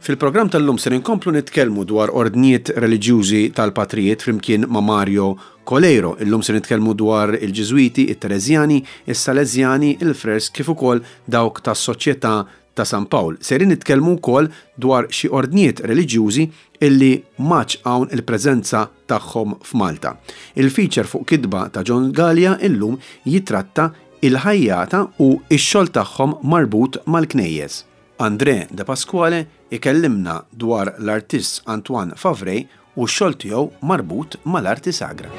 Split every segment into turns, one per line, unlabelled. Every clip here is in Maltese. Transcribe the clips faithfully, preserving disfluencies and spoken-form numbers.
Fil-programm tal-lum ser inkomplu nitkellmu dwar ordnijiet reliġjużi tal-patrijiet flimkien ma' Mario Coleiro. Illum se nitkellmu dwar il-Ġiżwiti, it-Tereżjani, is-Salesjani, il-Frers kif ukoll dawk tas-Soċjetà ta' San Pawl. Serin nitkellmu wkoll dwar xi ordnijiet reliġjużi illi m'għadx hawn il-preżenza tagħhom f'Malta. Il-feature fuq kitba ta' John Galea illum jitratta il-ħajjata u x-xogħol tagħhom marbut mal-knejjes. André De Pasquale ikellimna dwar l-artist Antoine Favray u x-xogħol tiegħu marbut mal-arti sagra.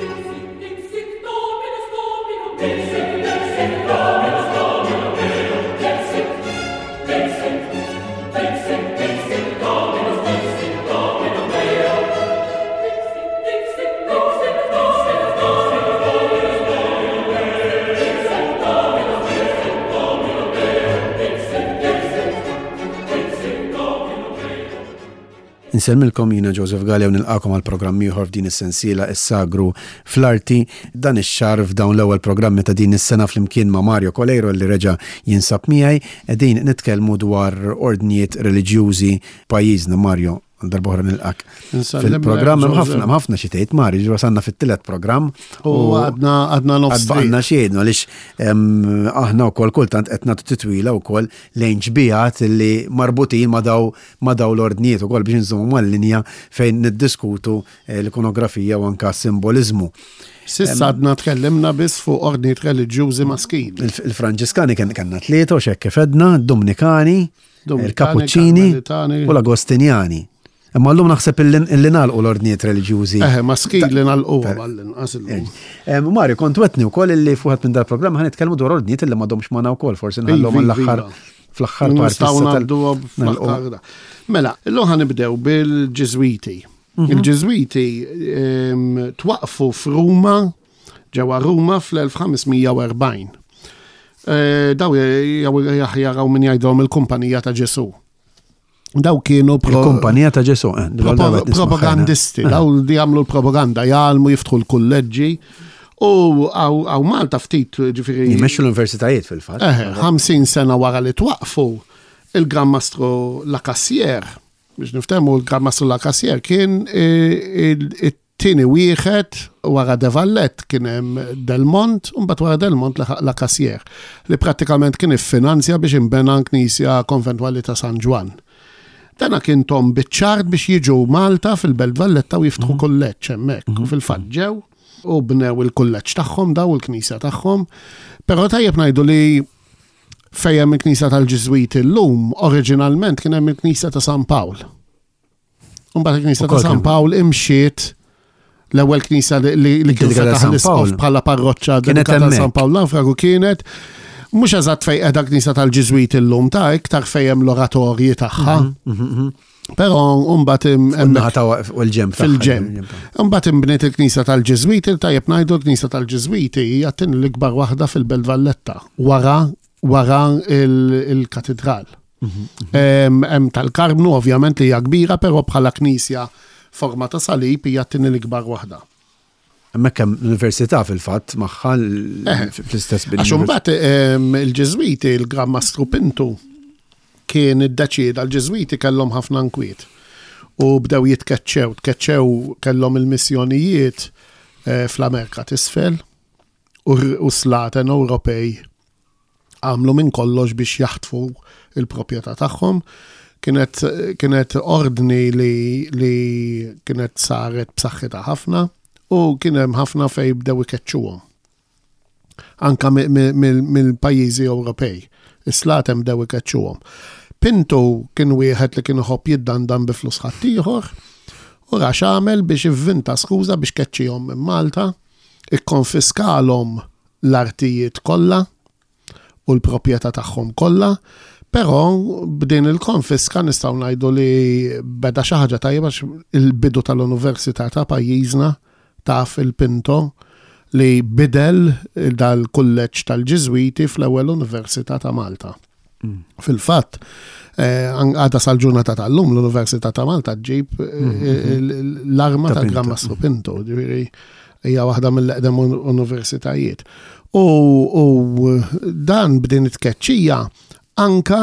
Insellmilkom, jiena Joseph Galea u nilqakom għal programm ieħor f'din is-sensiela Is-Sagru fl-Arti. Dan ix-xahar, f'dawn l-ewwel programmi ta' din is-sena, flimkien ma' Mario Coleiro li reġa' jinsab miegħi, qegħdin nitkellmu dwar ordnijiet reliġjużi pajjiżna. Mario, darb'oħra nilqak fil-programm. Hemm ħafna ħafna xi tgħid, Mario, ġo wasalna fit-tielet programm.
U għadna għadna nofs.
Għadna xejn għaliex aħna wkoll kultant qed nagħtu titwila wkoll lejn xbihat li marbutin ma' daw ma' daw l-ordnijiet ukoll biex nżommu mal-linja fejn niddiskutu eh, l-ikonografija u anka simboliżmu.
S'issa għadna tkellimna biss fuq ordnijiet reliġjużi maskili.
Il-Franġiskani kellna tlieta u xekk kif għedna, Dominikani, il-Kapuċċini u l-Agostinjani. Imma llum naħseb illi nagħlqu l-ordnijiet reliġjużi.
Eħe, maskili nagħlqu għall-inqas illum.
Mario, kont wegħedtni wkoll illi fuq minn dal-programm ħa nitkellmu dwar ordnijiet illi m'għadhomx magħna wkoll, forsi nħallhom għall-aħħar fl-aħħar parti.
Nistgħu ngħaddu fl-aħħar. Mela, illum ħa nibdew bil-Ġiżwiti. Il-Ġiżwiti twaqfu f'Ruma, ġewwa Ruma fl-elf ħames mija u erbgħin. Daw jaraw min jgħidhom il-Kumpanija ta' Ġesu. Daw kienu
Il-Kumpanija ta' Ġesu.
Propagandisti, daw li jagħmlu l-propaganda, jgħallmu, jiftħu l-kulleġġi. U hawn Malta ftit, ġifieri.
Jmexxu l-universitajiet fil-fatt.
Eħe, ħamsin sena wara li twaqfu, il-Gran Mastru La Cassière, biex niftehmu, il-Gran Mastru La Cassière kien it-tieni wieħed wara De Valette. Kien hemm Del Mont, u mbagħad wara Del Mont La Cassière, li prattikament kien iffinanzja biex imbena knisja konventwali ta' San Ġwann. Dana kien tahom biċ-ċar biex jiġu Malta fil-Belt Valletta u jiftħu kulleġġ hemmhekk. U fil-fatt ġew u bnew il-kulleġġ tagħhom daw, il-knisja tagħhom. Però tajjeb ngħidu li fejn hemm il-knisja tal-Ġiżwiti llum, oriġinalment kien hemm il-knisja ta' San Pawl. Mbagħad il-knisja ta' San Pawl imxiet, l-ewwel knisja li kien fetaħ l-isqof bħala parroċċa dedikata San Pawl Nawfragu kienet mhux eżatt fejn qiegħda knisja tal-Ġiżwiti llum, ta' iktar fejn hemm l-oratorji tagħha. Però mbagħad
u l-ġenb.
Fil-ġenb. Mbagħad imbniet il-knisja tal-Ġiżwiti. Tajjeb ngħidu, l-knisja tal-Ġiżwiti hija t l-ikbar waħda fil-Belt Valletta wara wara il-katedral. Hemm tal-Karmnu ovvjament li hija kbira, però bħala knisja forma ta' salib hija t l-ikbar waħda.
Hemmhekk hemm l-università fil-fatt magħha fl-istess
bini. Għax imbagħad il-Ġiżwiti, il-Gran Mastru Pinto kien iddeċieda, l-Ġiżwiti kellhom ħafna nkwiet u bdew jitkeċċew, tkeċċew, kellhom il-missjonijiet fl-Amerika t'isfel u slaten Ewropej għamlu minn kollox biex jaħtfu il-proprjetà tagħhom. Kienet, kienet ordni li, li kienet saret b'saħħitha ħafna u kien hemm ħafna fej bdew ikeċċuhom. Anka mill-pajjiżi Ewropej. Is-slaten bdew ikeċċuhom. Pinto kien wieħed li kien iħobb jiddandan bi flus ħaddieħor u ra x'għamel biex ivvinta skuża biex keċċihom minn Malta, ikkonfiskalhom l-artijiet kollha u l-proprjetà tagħhom kollha, però b'din il-konfiska nistgħu ngħidu li beda xi ħaġa tajba, il-bidu tal-Università ta' pajjiżna taf il-Pinto li bidel dal-kulleġġ tal-Ġiżwiti fl-ewwel Università ta' Malta. Mm. Fil-fatt, eh, għada sal-ġurnata tal-lum l-Università ta' Malta ġġib eh, mm-hmm. l-arma ta' Gran Mastru Pinto, ġifieri hija waħda mill-eqdem universitajiet. U dan b'din it-tkeċċija anka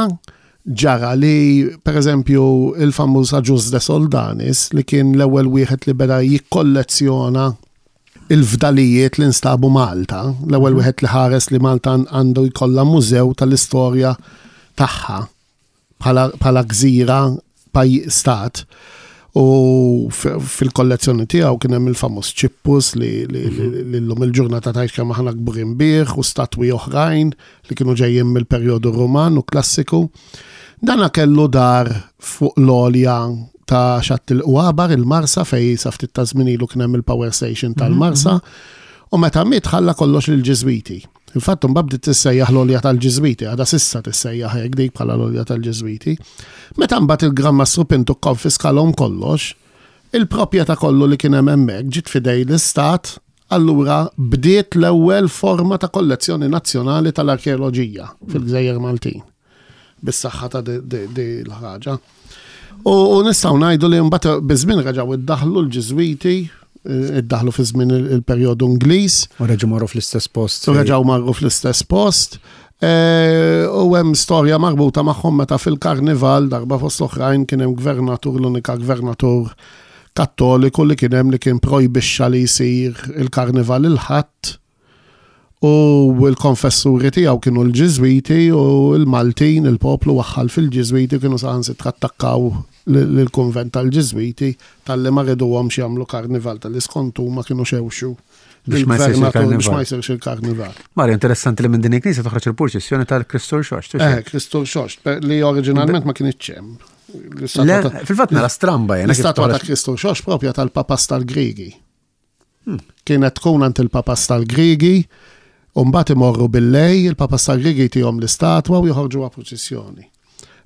Ġara li, per eżempju, il-famuż Agius de Soldanis, li kien l-ewwel wieħed li beda jikkollezzjona il-fdalijiet li nstabu Malta, l-ewwel wieħed li ħares li Malta għandu jkollha mużew tal-istorja tagħha bħala gżira paj stat. U fil-kollezzjoni tiegħu kien hemm il-famuż ċippus li llum il-ġurnata tgħid kemm aħna kburin bih u statwi oħrajn li kienu ġejjin mill-perjodu Ruman u klassiku. Dana kellu dar fuq l-għolja ta' Xatt il-Qwabar, il-Marsa, fej sa ftit ta' żmien ilu kien hemm il-power station tal-Marsa, u meta miet ħalla kollox lill-Ġiżwiti. Infatti mbagħad bdiet tissejjaħ l-għolja tal-Ġiżwiti, għadha s'issa tissejjaħ hekk dik bħala l-għolja tal-Ġiżwiti. Meta mbagħad il-Gran Mastru Pintu kkonfiskalhom kollox, il-proprjetà kollu li kien hemm hemmhekk ġiet f'idej l-Istat, allura bdiet l-ewwel forma ta' kollezzjoni nazzjonali tal-arkeoloġija fil-Gżejjer Maltin. Bis-saħħa ta' di l-ħaġa. U nistgħu ngħidu li mbagħad biż-żmien reġgħu iddaħlu l-Ġiżwiti, iddaħlu fi żmien il-perjodu Ingliż.
U reġgħu marru fl-istess post.
U reġgħu marru fl-istess post. U hemm storja marbuta magħhom meta fil-karnival darba fost oħrajn kien hemm gvernatur, l-unika gvernatur kattoliku li kien hemm li kien projbixxa li jsir il-karnival il-Ħadd. U l-konfessuri tiegħu kienu l-Ġiżwiti u l-Maltin, il-poplu waħħal fil-Ġiżwiti, kienu saħansitra attakkaw lill-kunvent tal-Ġiżwiti talli ma riduhomx jagħmlu karnival, tal-li skont huma kienu xewxu
biex ma jsirx
il-gvernatur biex ma jsirx il-karnival.
Mario, interessanti li minn din il-knisja toħroġ il-purċissjoni tal-Kristu Rxoxt.
Eh, Kristu Rxoxt, li oriġinalment ma kienx hemm.
Fil-fatt nara stramba jena.
L-istatwa ta' Kristu Rxoxt propja tal-Papas tal-Griegi. Kienet tkun għand il-Papas tal-Griegi, u mbagħad imorru bil-lej, il-Papas tal-Griegi jtihom l-istatwa u joħorġuha purċissjoni.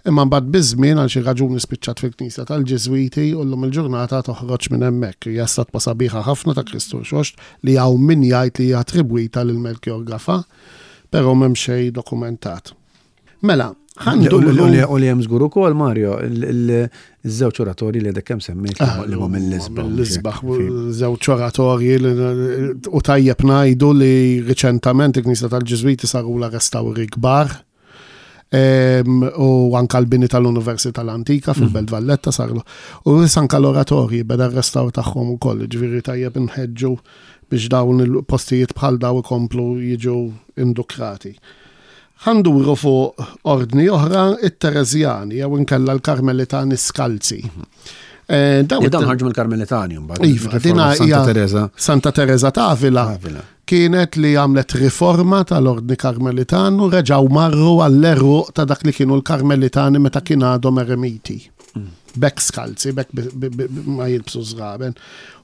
Imma mbagħad biż-żmien għal xi raġuni spiċċat fil-Knisja tal-Ġiżwiti u llum il-ġurnata toħroġ minn hemmhekk. Hija statwa sabiħa ħafna ta' Kristu Rxoxt li hawn min jgħid li hija attribwita lil Melchior Gafà, però m'hemm xejn dokumentat. Mela,
U li hemm żgur ukoll, Mario, iż-żewġ oratorji li għadek kemm semmejt li huma mill-isbaħ.
Mill-isbaħ, żewġ oratorji u tajjeb ngħidu li riċentament il-Knisja tal-Ġiżwiti sarula restawri kbar. U anka l-bini tal-Università l-Antika fil-Belt Valletta sarlu. U anka l-oratorji beda r-restawr tagħhom ukoll, ġifieri tajjeb inħeġġu biex dawn il-postijiet bħal daw ikomplu jiġu indukrati. Ħanduru fuq ordni oħra, it-Tereżjani jew inkella l-Karmelitani Skalzi.
Dawn ħarġu mill-Karmelitani mbagħad.
Iva, dina hija
Santa Teresa.
Santa Teresa ta' Avila kienet li għamlet riforma tal-ordni Karmelitan u reġgħu marru għall-eruq ta' dak li kienu l-Karmelitani meta kien għadhom eremiti. Bekk skalzi, bekk ma jilbsu żraben.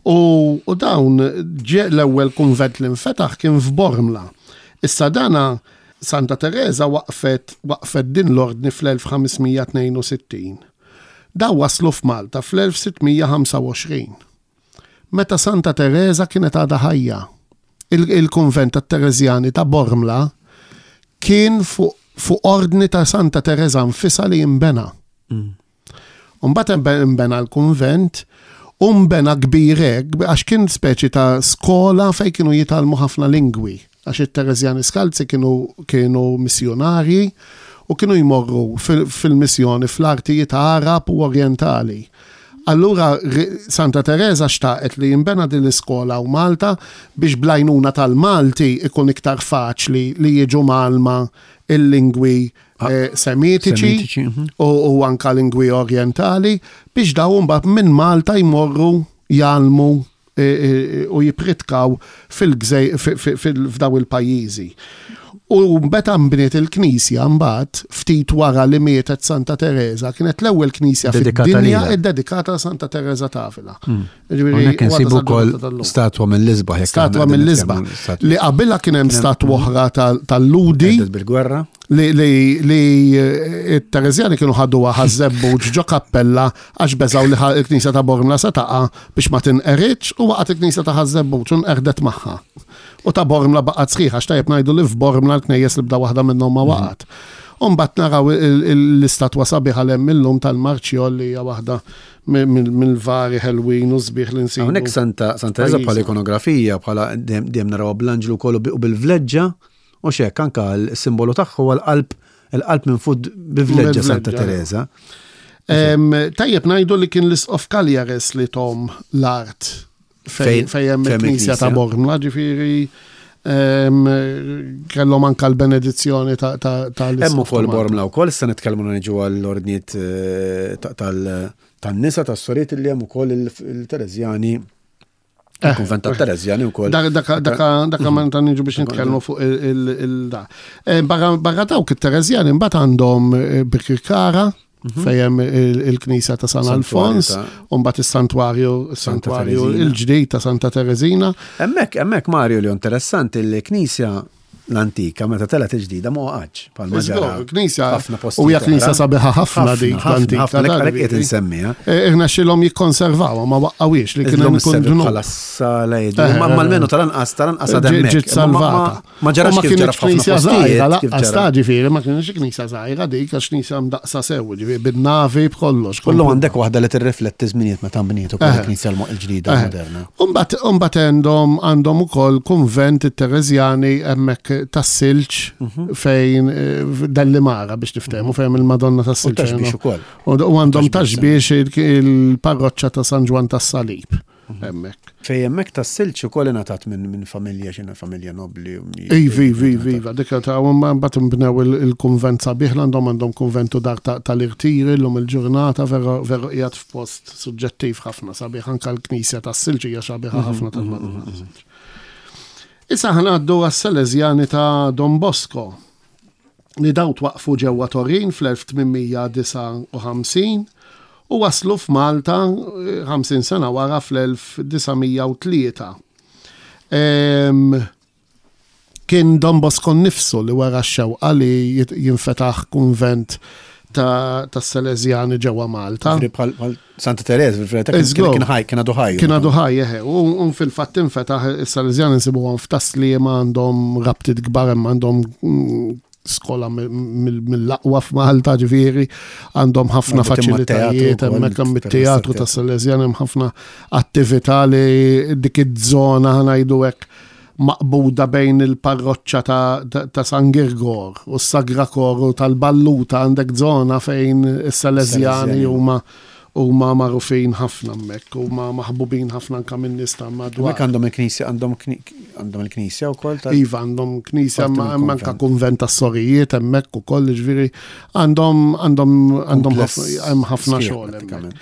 U dawn l-ewwel kunvent li nfetaħ kien f'Bormla. Issa dana Santa Teresa waqfet waqfet din l-ordni fl-elf ħames mija tnejn u sittin. Daw waslu f'Malta fl-elf sitt mija ħamsa u għoxrin. Meta Santa Teresa kienet għadha ħajja. Il-kunvent tat-Tereżjani ta' Bormla kien fuq fu ordni ta' Santa Teresa nfisha li jinbena. U mbagħad inbena l-kunvent u nbena kbir hekk għax kien speċi ta' skola fejn kienu jitgħallmu ħafna lingwi. Għax it-Tereżjani Skalzi kienu, kienu missjonarji u kienu jmorru fil-missjoni fl-artijiet Arab u Orientali. Allura Santa Teresa xtaqet li jinbena din l-iskola u Malta biex blajnuna tal-Malti ikun iktar faċli li jiġu malma il-lingwi
Ah,
eh, semitiċi
semitiċi, mhm.
u, u anka lingwi orientali biex dawn mbagħad minn Malta jmorru jgħallmu, eh, eh, u jipritkaw fil-gżej-, fi-, fi-, fil-, f'daw il-pajjiżi. U meta nbniet il-knisja mbagħad ftit wara li mietet Santa Teresa, kienet l-ewwel knisja
Dedikata
fid-dinja
lilha.
iddedikata Santa Teresa ta' Avila.
Hmm.
Jiġifieri,
Hawnhekk
huwa
insibu
ta'
wkoll
ġurnata tal-lum.
statwa mill-isbaħ, jekk
Statwa
aħna qegħdin
mill-isbaħ.
nitkellmu statwa.
Li qabilha kien hemm
Kien hemm
statwa oħra tal-, tal-Ludi.
Għeddet bil-gwerra.
Li, li, li, eh, it-Tereżjani kienu ħaduha ħaż-Żebbuġ ġo kappella għax beżgħu li ħa-, il-knisja ta' Bormla se taqa' biex ma tinqeritx u waqgħet il-knisja ta' Ħaż-Żebbuġ u nqerdet magħha. U ta' Bormla baqgħet sħiħa, għax tajjeb ngħidu li f'Bormla l-knejjes li bda waħda minnhom ma waqgħet. U mbagħad naraw il-, il-, l-istatwa sabiħa l hemm illum tal-Marċjol li hija waħda mi-, mi-, mill-vari ħelwin u sbieħ li nsibu.
Hawnhekk Santa, Santa Teresa bħala
Pajjiżna.
ikonografija, bħala dejjem, dejjem naraw bl-anġlu kollu bi-, u bil-vleġġa, u xek anka l-simbolu tagħha huwa l-qalb Il-qalb minn fuq bi vleġġa Santa
Bivleġġa.
Teresa.
Em, Tajjeb ngħidu li kien l-Isqof Cagliares li tahom l-art
Fejn-
fejn fejn hemm
fejn hemm
il-Knisja ta'
il-Knisja.
Bormla, ġifieri em, kellhom anka l-benedizzjoni ta' ta' ta'
Hemm
l-Isqof
ukoll
ta' Malta.
Bormla wkoll, issa nitkellmu niġu għall-ordnijiet eh, ta- tal- tan-nisa tas-soriet li hemm ukoll il- il-Tereżjani, il-kunvent tat-Tereżjani wkoll.
Dak dak dak ma ta' niġu biex nitkellmu fuq il-da. Barra dawk it-Tereżjani mbagħad għandhom eh, Birkirkara fejn hemm il- il-Knisja ta' San
Santwarju
Alfons,
ta'
u mbagħad is-santwarju is-santwarju
Tereżina.
il-ġdid ta' Santa Tereżina.
Hemmhekk, hemmhekk Mario li interessanti il-knisja l-antika meta telgħet il-ġdida ma waqgħetx bħalma ġara.
Knisja,
ħafna postijiet
u hija knisja
oħra.
sabiħa ħafna dik
Ħafna,
l-antika.
ħafna,
ta'
għalhekk qed
ġifieri.
insemmiha.
Eh, Irnexxielhom jikkonservawha ma waqqawiex li kien
Illum
hemm ikun
isservi
dnub.
bħala sala jgħidu.
Eh,
Ma
eh,
almenu tal-anqas tal-anqas għad
Ġiet
hemmhekk.
ġiet
Ma- ma-
salvata.
Ma ġarax
U ma
kif ġara
kienx
f'ħafna
knisja żgħira,
postijiet. kif
laqqas
ġara.
ta' ġifieri, ma kienx knisja żgħira dik għax knisja mdaqsa sew, ġifieri bin-navi b'kollox.
Kollu għandek waħda li tirrifletti żminijiet meta nbniet ukoll
Eh.
il-knisja l-ġdida
Eh.
moderna.
Umbat, umbat għandhom għandhom ukoll kunvent it-Tereżjani hemmhekk tas-Silġ
Mhm.
fejn eh, Dellimara biex niftehmu fejn il-Madonna
U
tas-Silġ.
Ta' Xbiex ukoll.
U u għandhom
Ta' Xbiex,
Ta' Xbiex il- il-parroċċa ta' San Ġwann tas-Salib
Mhm.
hemmhekk.
Fej hemmhekk tas-Silġ ukoll ingħatat minn minn familja x'inha familja nobli. u mi-
Ivi, ivi, ivi, iva, dik ta' u mbagħad imbnew il- il-kunvent sabiħ l għandhom għandhom kunventu dar ta- tal-irtiri llum il-ġurnata veru veru qiegħed f'post suġġettiv ħafna sabiħ anke l-knisja tas-Silġ hija sabiħa ħafna tal-Madonna tas-Silġ. Issa ħa ngħaddu għas-Salesjani ta' Don Bosco li daw twaqfu ġewwa Torin fl-elf tmien mija disgħa u ħamsin u waslu f'Malta eh, ħamsin sena wara fl-elf disa' mija u tlieta. Em, Kien Don Bosco nnifsu li wara x-xewqa li jit- jinfetaħ kunvent ta' ta' Salesjani ġewwa Malta.
Ġifieri Bħal bħal Santa Teresa, fil-verità kien
Iżgur.
kien ħaj, kien għadu ħaj.
Kien għadu ħaj, eħe, u u fil-fatt infetaħ is-Salesjani nsibuhom f'Tas-Sliema għandhom rabtiet kbar hemm għandhom mm, skola mill- mill-aqwa f'Malta ġifieri, għandhom ħafna
Marbutin mat-teatru
faċilitajiet,
wkoll,
hemmhekk hemm
permezz
it-teatru
tat-teatru.
tas-Salesjani hemm ħafna attività li dik iż-żona ħa ngħidu hekk maqbuda bejn il-parroċċa ta', ta, ta' San Girgor u s-Sagra Koru tal-Balluta għandek żona fejn is-Salesjani
Salesjani.
huma huma magħrufin ħafna hemmhekk, huma maħbubin ħafna anke min-nies ta' madwar.
Hemmhekk għandhom il-knisja, għandhom kni- għandhom il-knisja wkoll ta'
Iva għandhom knisja
Parti
ma
mill
hemm anke
konvent.
kunvent tas-sorijiet hemmhekk ukoll ġifieri għandhom għandhom għandhom
Kumpless
ħafna hemm ħafna
sħiħ
xogħol hemmhekk.
prattikament.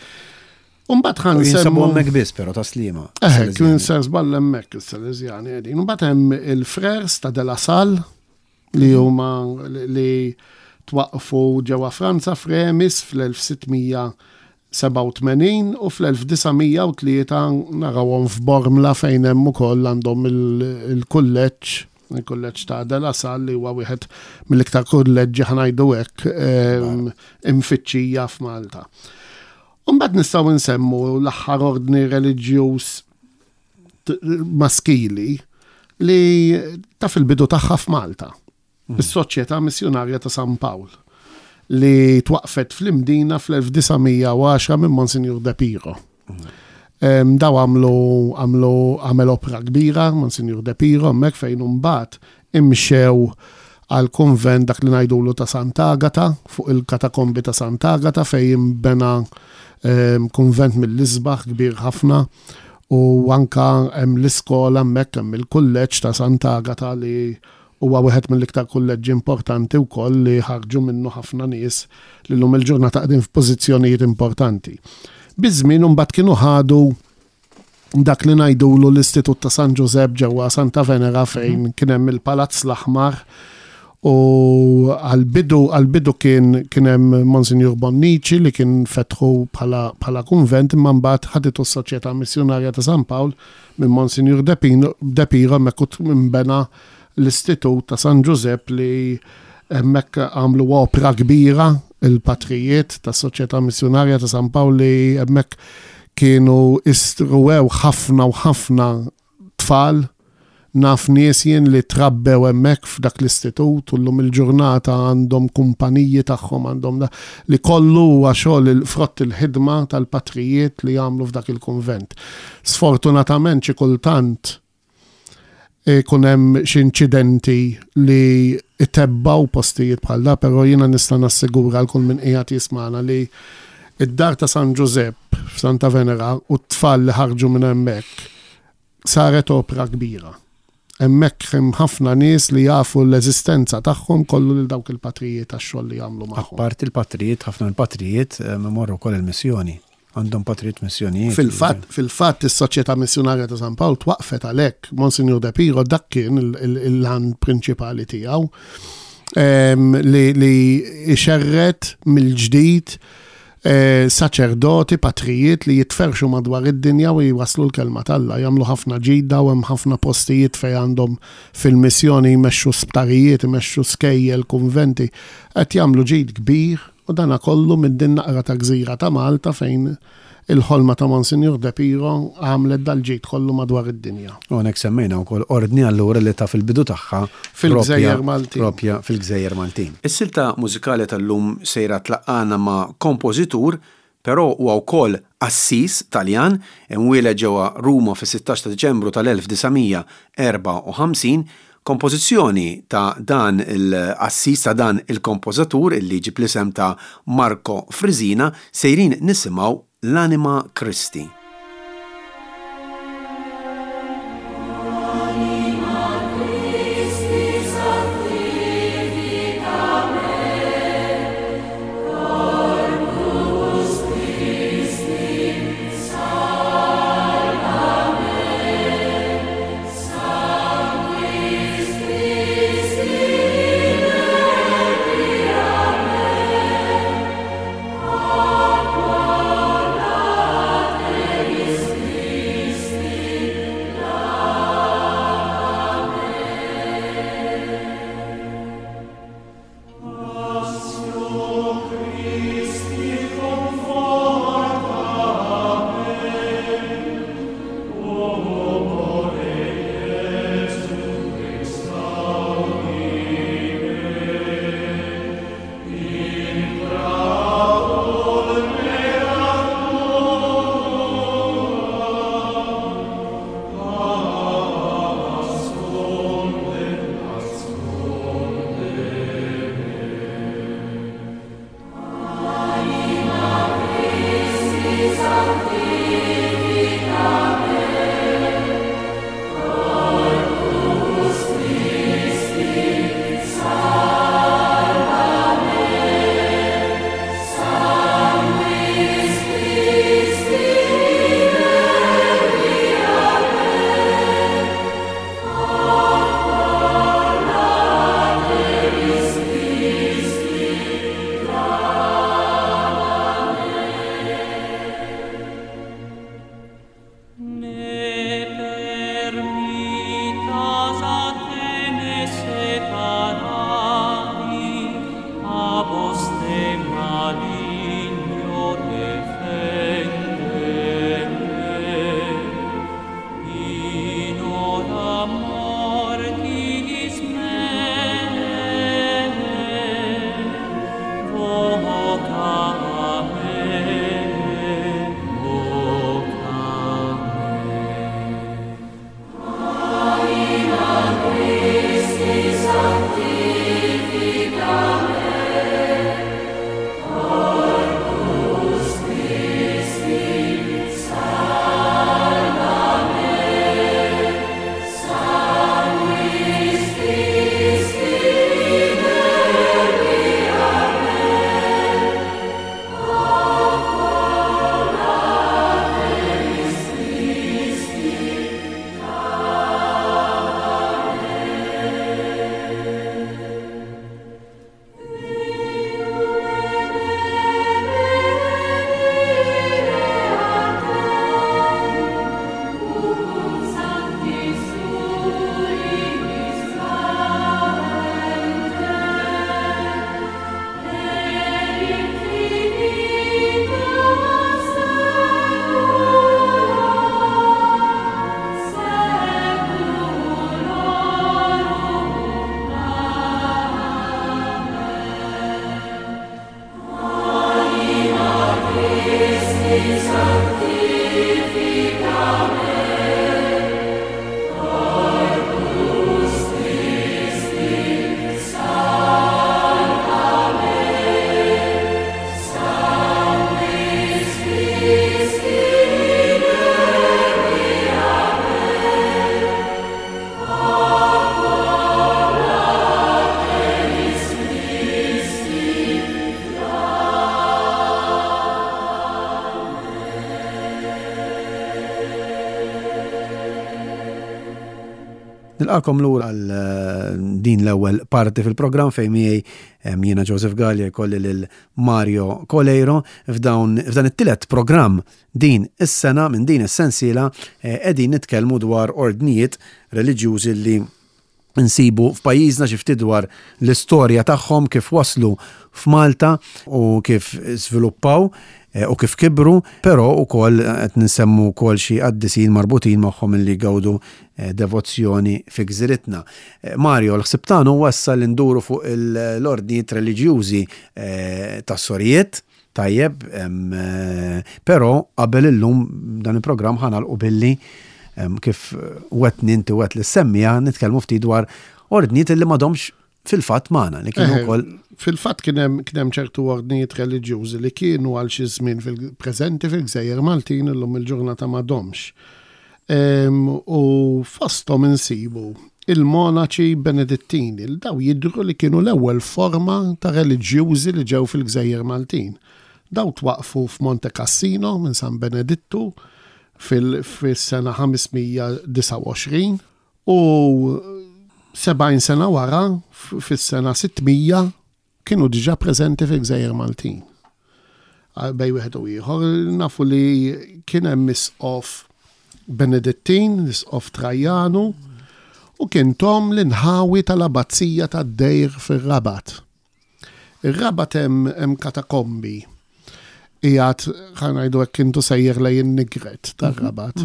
Umbagħad ħa
U Jinsabu
nsemmu
hemmhekk biss però Tas-Sliema.
Eh, kien ser żball hemmhekk is-Salesjani qegħdin. Imbagħad hemm il-Frères ta' De La Salle li huma li twaqfu ġewwa Franza f'Remis fl-elf sitt mija sebgħa u tmenin u fl-elf disa' mija u tlieta narawhom f'Bormla fejn hemm ukoll għandhom il- il-kulleġġ il-kulleġġ ta' De La Salle li huwa wieħed mill-iktar kulleġġi ħa ngħidu hekk em, imfittxija f'Malta. Umbagħad nistgħu nsemmu l-aħħar ordni reliġjuż t- maskili li ta' fil-bidu tagħha f'Malta. Is-Soċjetà Missjonarja ta' San Pawl li twaqfet fl-Imdina fl-elf disa' mija u għaxra minn Monsignor De Piro. Em, Daw għamlu għamlu għamel opra kbira, Monsignor De Piro, hemmhekk fejn imbagħad imxew għal konvent dak li ngħidulu ta' Sant'Agata, fuq il-katakombi ta' Sant'Agata fejn imbena em, konvent mill-isbaħ kbir ħafna u anka hemm l-iskola hemmhekk hemm il-kulleġġ ta' Sant'Agata li huwa wieħed mill-iktar kulleġġi importanti wkoll li ħarġu minnu ħafna nies li llum il-ġurnata qegħdin f'pożizzjonijiet importanti. Biż-żmien imbagħad kienu ħadu dak li ngħidulu l-Istitut ta' San Giuseppe ġewwa Santa Venera fejn kien hemm il-Palazz l-Aħmar u għal-bidu għal-bidu kien kien hemm Monsignor Bonnici li kien fetħu bħala bħala kunvent imma mbagħad ħaditu s-Soċjetà Missjonarja ta' San Pawl minn Monsignor De Pino- De Piro hemmhekk u imbena l-Istitut ta' San Giuseppe li hemmhekk għamlu opra kbira il-patrijiet tas Soċjetà Missjonarja ta' San Pawl li hemmhekk kienu istruwew ħafna u ħafna tfal naf nies jien li trabbew hemmhekk f'dak l-istitut u llum il-ġurnata għandhom kumpaniji tagħhom għandhom da li kollu huwa xogħol il-frott il-ħidma tal-patrijiet li jagħmlu f'dak il-kunvent. Sfortunatament xi kultant ikun hemm xi inċidenti li Itebbaw postijiet bħal da, però jiena nista' nassigura l kull min qiegħed jismana li id-dar ta' San Giuseppe f'Santa Venera u t-tfal li ħarġu minn hemmhekk saret opra kbira. Hemmhekk hemm ħafna nies li jafu l-eżistenza tagħhom kollu lil dawk il-patrijiet għax-xogħol li jagħmlu magħhom.
Apparti il-patrijiet, ħafna l-patrijiet eh, imorru wkoll il-missjoni. Għandhom patrijiet missjonijiet.
Fil-fatt, fil-fatt is-Soċjetà Missjonarja ta' San Pawl twaqfet għalhekk Monsignor De Piro dak kien il-għan prinċipali tiegħu li li ixerred mill-ġdid eh, saċerdoti, patrijiet li jitferxu madwar id-dinja u jwaslu l-kelma t'Alla, jagħmlu ħafna ġidda u hemm ħafna postijiet fejn għandhom fil-missjoni jmexxu sptarijiet, jmexxu skejjel, kunventi, qed jagħmlu ġid kbir u dana kollu minn din naqra ta' gżira ta' Malta fejn il-ħolma ta' Monsignor De Piro għamlet dal-ġid kollu madwar id-dinja.
U hawnhekk semmejna wkoll ordni allura li ta' fil-bidu tagħha
fil-Gżejjer Maltin.
Propja fil-Gżejjer Maltin. Is-silta mużikali tal-lum sejra tlaqqana ma' kompożitur, però huwa wkoll qassis Taljan, imwieled ġewwa Ruma fis-sittax ta' Diċembru tal-elf disa' mija erbgħa u ħamsin. Kompożizzjoni ta' dan il-qassis, ta' dan il-kompożatur illi ġib l-isem ta' Marco Frisina, sejrin nisimgħu l-Anima Christi.
Amen.
Nilqagħkom lura għal eh, din l-ewwel parti fil-programm fejn miegħi em, jiena Joseph Gallia jkolli lil Mario Coleiro. f'dawn f'dan it-tielet programm din is-sena minn din is-sensiela eh, qegħdin nitkellmu dwar ordnijiet reliġjużi li nsibu f'pajjiżna, xi ftit dwar l-istorja tagħhom, kif waslu f'Malta u kif żviluppaw eh, u kif kibru, però wkoll qed nsemmu wkoll xi qaddisin marbutin magħhom li gawdu eh, devozzjoni fi gżiritna. Eh, Mario, l-ħsib tagħna huwa issa li nduru fuq l-ordnijiet reliġjużi eh, tas-sorijiet, tajjeb, em, eh, però qabel illum dan il-programm ħa nagħlqu billi em, kif wetni inti wet li semmija nitkellmu ftit dwar ordnijiet li m'għadhomx fil-fatt magħna li kienu
Eħe,
wkoll.
Fil-fatt kien hemm kien hemm ċertu ordnijiet reliġjużi li kienu għal xi żmien fil-preżenti fil-Gżejjer Maltin, illum il-ġurnata m'għadhomx. Em, U fosthom insibu il-monaċi Benedittini, li daw jidru li kienu l-ewwel forma ta' reliġjużi li ġew fil-Gżejjer Maltin. Daw twaqfu f'Monte Cassino minn San Benedittu fil-sena ħames mija disgħa u għoxrin u sebgħin sena wara, f- fis-sena sitt mija, kienu diġà preżenti fil-Gżejjer Maltin. Għal bejn wieħed u ieħor nafu li kien hemm isqof Benedittin, l-isqof Trajanu, u kien tom l-inħawi tal-abbazija tad-Dejr fir-Rabat. Ir-Rabat hemm hemm katakombi. Ijat, ħa ngħidu hekk, kintu sejjer lejn in-Nigret tar-Rabat,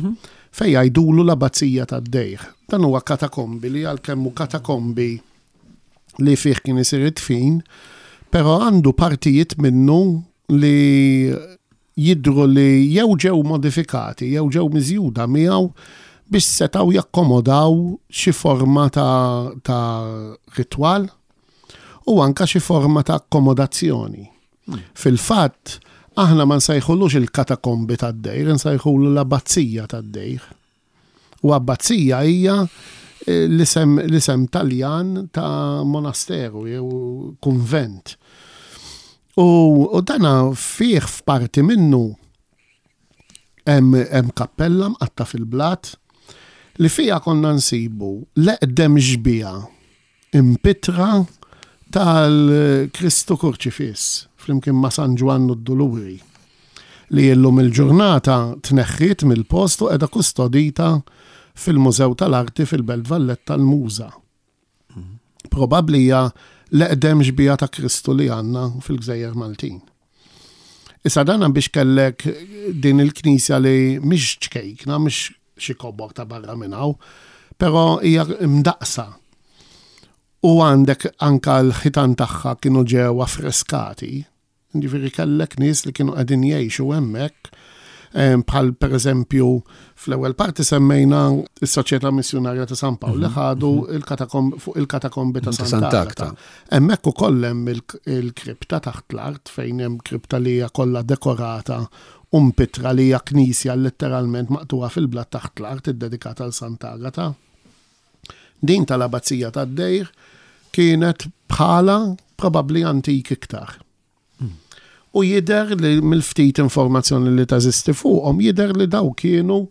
fej jgħidulu l-abbazija tad-Dejr. Dan huwa katakombi li għalkemm hu katakombi li fih kien isir id-dfin, però għandu partijiet minnu li jidru li jew ġew modifikati, jew ġew miżjuda miegħu biex setaw jakkomodaw xi forma ta', ta ritwal u anka xi forma ta' akkomodazzjoni. Fil-fatt, aħna ma nsejħulux il-katakombi tad-dejr, nsejħulu l-abbazija tad-dejr. U abbazija hija eh, l-isem l-isem Taljan ta' monasteru jew kunvent. U, u dana fih f'parti minnu hemm hemm kappella mqatta fil-blat li fija konna nsibu l-eqdem xbieha impittra tal-Kristu Kurċifiss flimkien ma' San Ġwann u d-Duluri li illum il-ġurnata tneħħiet mill-post u qiegħda kustodita fil-Mużew tal-Arti fil-Belt Valletta, l-Muża. Probabbli hija l-eqdem xbieha ta' Kristu li għandna fil-Gżejjer Maltin. Issa dana biex kellek din il-knisja li mhix ċkejkna, mhix xi kobor ta' barra minn hawn, però hija mdaqsa. U għandek anka l-ħitan tagħha kienu ġew affreskati. Ġifieri kellek nies li kienu qegħdin jgħixu hemmhekk, em, bħal per eżempju fl-ewwel parti semmejna is-Soċjetà Missjunarja ta' San Pawl li ħadu il-katakom fuq il-katakombi ta'
Ta'
Sant'Agata.
Sant'Agata.
Hemmhekk ukoll hemm il- il-kripta taħt l-art fejn hemm kripta li hija kollha dekorata u mpittra, li hija knisja letteralment maqtuha fil-blat taħt l-art iddedikata għal Sant'Agata. Din tal-abbazija tad-Dejr kienet bħala probabbli antik iktar. U jider li mill-ftit informazzjoni li teżisti fuqhom jider li daw kienu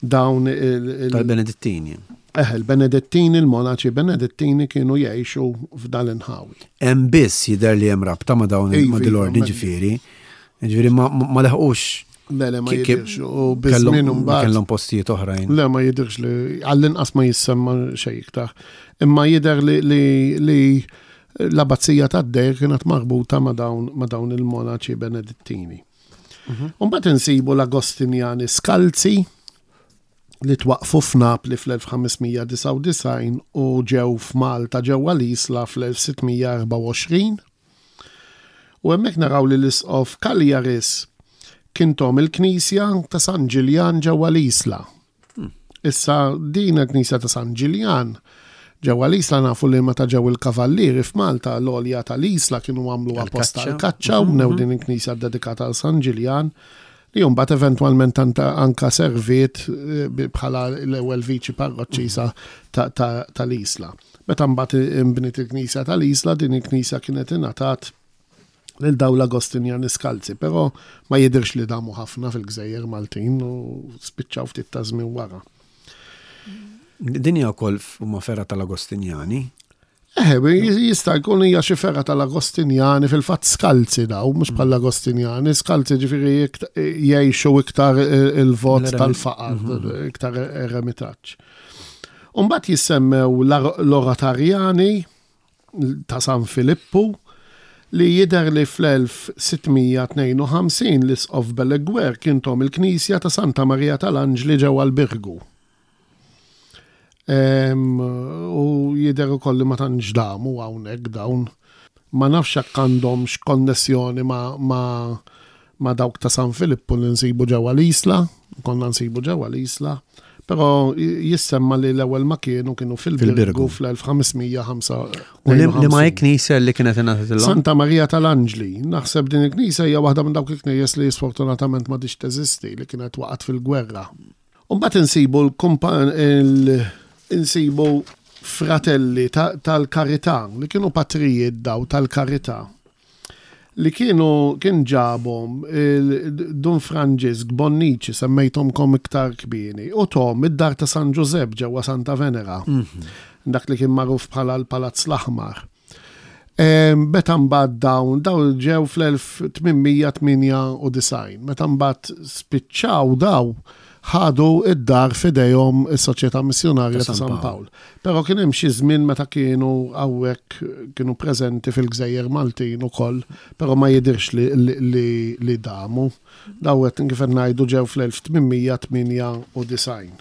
dawn il- il-
Tal-Benedittini.
Eh, il-Benedettini, il-monaċi Benedettini kienu jgħixu f'dal inħawi.
Hemm biss jidher li hemm rabta ma' dawn
Iva,
ma' dil-ordni
iva,
ġifieri. Ġifieri ma ma leħqux.
Le, le, ma
Ki- ki-
jidirx. U
kellhom
biż-żmien mbagħad.
kellhom postijiet oħrajn.
Le, ma jidirx li, għall-inqas ma jissemma xejn iktar. Imma jider li, li, li l-abbazija tad-Dejr kienet marbuta ma' dawn, ma' dawn il-monaċi Benedettini. Mbagħad insibu l-Agostinjani Skalzi li twaqfu f'Napli fl-elf ħames mija disgħa u disgħin u ġew f'Malta ġewwa l-Isla fl-elf sitt mija erbgħa u għoxrin. U hemmhekk naraw li l-isqof Cagliaris kien tom il-Knisja ta' San Ġiljan ġewwa l-Isla. Issa din il-Knisja ta' San Ġiljan ġewwa l-Isla, nafu li meta ġew il-Kavallieri f'Malta, l-għolja tal-Isla kienu għamlu apposta
Għal-kaċċa.
l-kaċċa u bnew din il-knisja dedikata għal San Ġiljan li mbagħad eventwalment anta- anka serviet eh, bi- bħala l-ewwel viċi parroċċisa ta- ta- tal-Isla. Meta mbagħad imbniet il-knisja tal-Isla, din il-knisja kienet ingħatat lil daw l-Agostinjani Skalzi, però ma jidirx li damu ħafna fil-Gżejjer Maltin u spiċċaw ftit ta' żmien wara.
Din hija wkoll huma fergħa tal-Agostinjani.
Eh, jista' jkun hija xi fergħa tal-Agostinjani fil-fatt skalzi daw, mhux bħal Agostinjani, skalzi ġifieri jgħixu iktar il-vot tal-faqar, mhm. iktar eremitaġġ. Umbagħad jissemmew l-Oratarjani ta' San Filippu li jidher li fl-elf sitt mija tnejn u ħamsin l-Isqof Beleguer kien tom il-Knisja ta' Santa Marija tal-Anġli ġewwa l-Birgu. U jidher ukoll li ma tantx damu hawnhekk dawn. Ma nafx jekk għandhomx konnessjoni ma, ma, ma dawk ta' San Filippu li nsibu ġewwa l-Isla, konna nsibu ġewwa l-Isla, però jissemma li l-ewwel ma kienu kienu fil-Birgu
Fil-Birgu.
fl-elf ħames mija ħamsa
U li, li ma hi knisja li kienet ingħatat illum?
Santa Marija tal-Anġli. Naħseb din il-knisja hija waħda minn dawk il-knejjes li sfortunatament ma diċ teżisti, li kienet waqgħet fil-gwerra. U mbagħad insibu l-kumpan il insibu fratelli ta-, tal-karità, li kienu patrijiet daw tal-karità, li kienu kien ġabhom il-Dun Franġisk Bonnici, semmejthomkom iktar kbini, u tom id-dar ta' San Ġużepp ġewwa Santa Venera,
Mhm.
dak li kien magħruf bħala l-Palazz l-Aħmar. Em, meta mbagħad dawn, dawn ġew fl-elf tmien mija tmienja u disgħin, meta mbagħad spiċċaw daw ħadu id-dar f'idejhom is-Soċjetà Missjonarja
Ta'
ta'
San
San
Pawl.
Pawl. Però kien hemm xi żmien meta kienu hawnhekk kienu preżenti fil-Gżejjer Maltin ukoll, però ma jidhirx li, li, li, li damu. Daw qed kif qed ngħidu ġew fl-elf tmien mija tmienja u disgħin.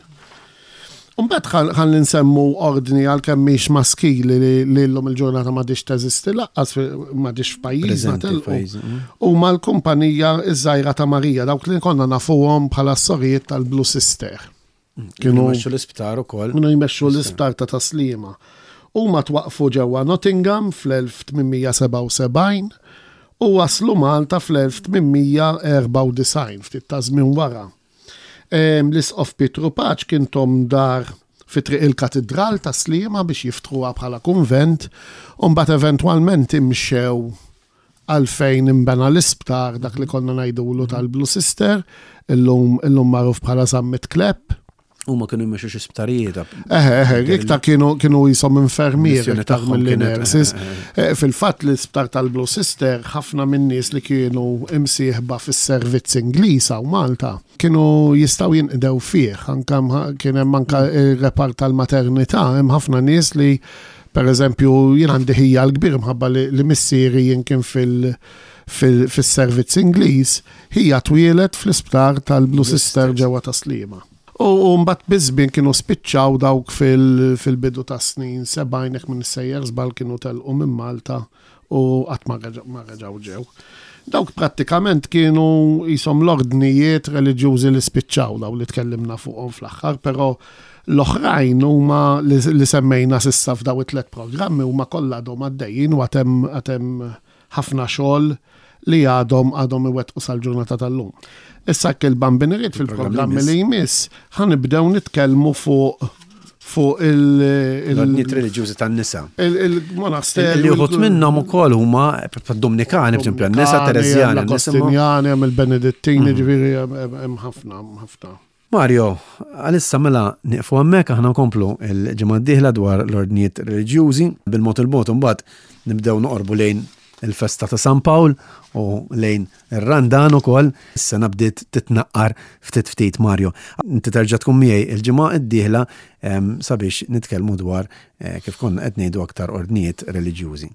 Imbagħad ħal-, ħalli nsemmu ordni għalkemm mhix maskili li, li llum il-ġurnata m'għadix teżisti laqqas fi-, m'għadix f'pajjiżna
Preżenti
telqu.
f'pajjiżna, mm.
Huma l-kumpanija iż-żgħira ta' Marija, dawk li konna nafuhom bħala s-sorijiet tal-Blue Sister.
Mm.
Kienu
jmexxu l-isptar ukoll.
Kienu jmexxu l-isptar ta' Taslima. Huma twaqfu ġewwa Nottingham fl-elf tmien mija sebgħa u sebgħin u waslu Malta fl-elf tmien mija erbgħa u disgħin, ftit ta' żmien wara. Em, L-Isqof Pietru Pace kien tom dar fi triq il-Katidral ta' Sliema biex jiftruha bħala kunvent, u mbagħad eventwalment imxew għalfejn imbena l-isptar dak li konna ngħidulu tal-Blue Sister, illum, illum magħruf bħala Zammit Klepp.
Huma kienu jmexxu xi sptarijiet.
Eħe, eħe, iktar kienu, kienu jisom infermieri
Missjoni
iktar
tagħhom
mill-li
kienet,
nurses.
eh, eh,
Eh, fil-fatt l-isptar tal-Blue Sister ħafna minn nies li kienu imsieħba fis-servizz Ingliż hawn Malta kienu jistgħu jinqdew fih, anka mħa-, kien hemm anka ir-repart tal-maternità, hemm ħafna nies li per eżempju jien għandi ħija l-kbir mħabba li, li missieri jien kien fil-, fil-, fis-servizz Ingliż, hija twieled fl-isptar tal-Blue Sister ġewwa Taslima. U, u mbagħad biż-żmien kienu spiċċaw dawk fil-, fil-bidu ta' snin sebgħin jekk minn sejjer żball kienu telqu minn Malta u qatt ma reġa-, ma reġgħu ġew. Dawk prattikament kienu jisom l-ordnijiet reliġjużi li spiċċaw daw li tkellimna fuqhom fl-aħħar, però l-oħrajn huma li, li semmejna s'issa f'daw it-tliet programmi huma kollha għadhom għaddejjin u għad hemm, għad hemm ħafna xogħol li għadhom, għadhom iwettqu sal-ġurnata tal-lum. Issa jekk il-Bambin irid fil-programmi li jmiss, ħanibdew nitkellmu fuq, fuq il-, il-,
L-ordnijiet reliġjużi tan-nisa.
il-, il-monasteri.
Li uħud minnhom ukoll huma Dominikani, per esempio, n-nisa
Dominikani,
Tereżjani,
hemm l-Agostinjani, hemm il-Benedettini,
Mhm.
ġifieri hemm, hemm, hemm ħafna, hemm ħafna.
Mario, għalissa mela nieqfu hemmhekk aħna nkomplu il-ġimgħa d-dieħla dwar l-ordnijiet reliġjużi, bil-mod il-mod imbagħad nibdew noqorbu lejn il-festa ta' San Pawl u lejn ir-Randan ukoll. Is-sena bdiet titnaqqar ftit ftit, Mario. Inti terġa' tkun miegħi il-ġimgħa d-dieħla, em, sabiex nitkellmu dwar, eh, kif konna qed ngħidu aktar ordnijiet reliġjużi.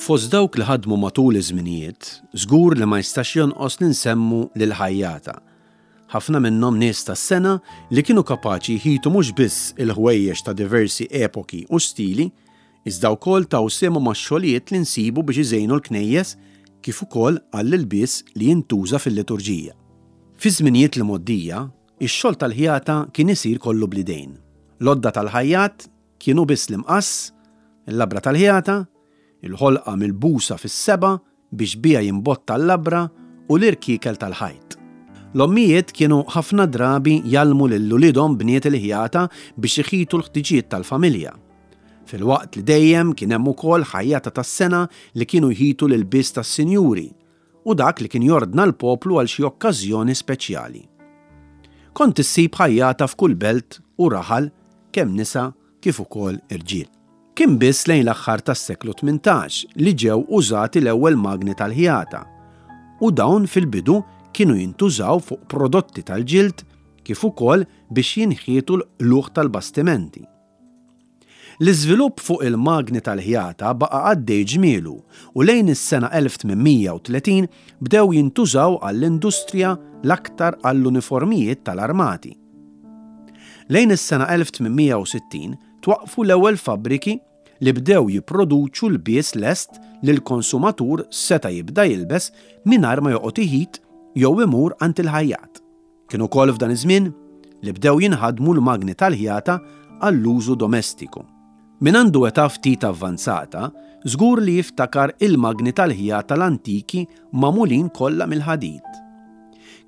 Fost dawk li ħadmu matul iż-żminijiet, żgur li ma jistax jonqos li nsemmu lil ħajjata. Ħafna minnhom nies tas-sena li kienu kapaċi jħitu mhux biss il-ħwejjeġ ta' diversi epoki u stili, iżda wkoll taw sehemhom max-xogħlijiet li nsibu biex iżejnu l-knejjes kif ukoll għall-ilbies li jintuża fil-liturġija. Fi żminijiet li mgħoddija, ix-xogħol tal-ħjata kien isir kollu bl-idejn. L-għodda tal-ħajjat kienu biss l-imqass, il-labra tal-ħjata, il-ħolqa milbusa fis-seba' biex biha jimbotta l-labra u l-irkiekel tal-ħajt. L-ommijiet kienu ħafna drabi jgħallmu lil uliedhom bniet il-ħjata biex iħitu l-ħtiġijiet tal-familja. Filwaqt li dejjem kien hemm ukoll ħajjata tas-sena li kienu jħitu l-ilbies tas-sinjuri u dak li kien jordna l-poplu għal xi okkażjoni speċjali. Kont issib ħajjata f'kull belt u raħal kemm nisa kif ukoll irġiel. Kien biss lejn l-aħħar tas-seklu tmintax li ġew użati l-ewwel magni tal-ħjata u dawn fil-bidu kienu jintużaw fuq prodotti tal-ġild kif ukoll biex jinħietu l-qluħ tal-bastimenti. L-iżvilupp fuq il-magni tal-ħjata baqa' għaddej ġmielu u lejn is-sena elf tmien mija u tletin bdew jintużaw għall-industrija, l-aktar għall-uniformijiet tal-armati. Lejn is-sena elf tmien mija u sittin twaqfu l-ewwel fabbriki li bdew jipproduċu l-bies lest li l-konsumatur seta' jibda jilbes mingħajr ma joqgħod iħit jew imur għand il-ħajjat. Kien ukoll f'dan iż-żmien li bdew jinħadmu l-magni tal-ħjata għall-użu domestiku. Min għandu età ftit avvanzata, żgur li jiftakar il-magni tal-ħjata l-antiki magħmulin kollha mill-ħadid.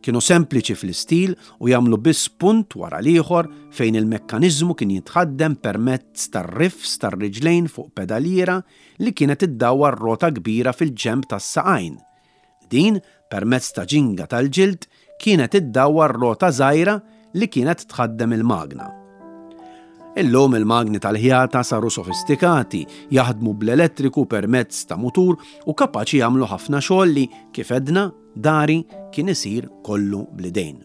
Kienu sempliċi fl-istil u jagħmlu biss punt wara l-ieħor fejn il-mekkaniżmu kien jitħaddem permezz tar-rifs tar-riġlejn fuq pedaliera li kienet iddawwar rota kbira fil-ġenb tas-saqajn. Din, permezz ta' ġinga tal-ġild, kienet iddawwar rota żgħira li kienet tħaddem il-magna. Illum il-magni tal-ħjata saru sofistikati, jaħdmu bl-elettriku permezz ta' mutur u kapaċi jagħmlu ħafna xogħol li, kif edna, dari kien isir kollu bl-idejn.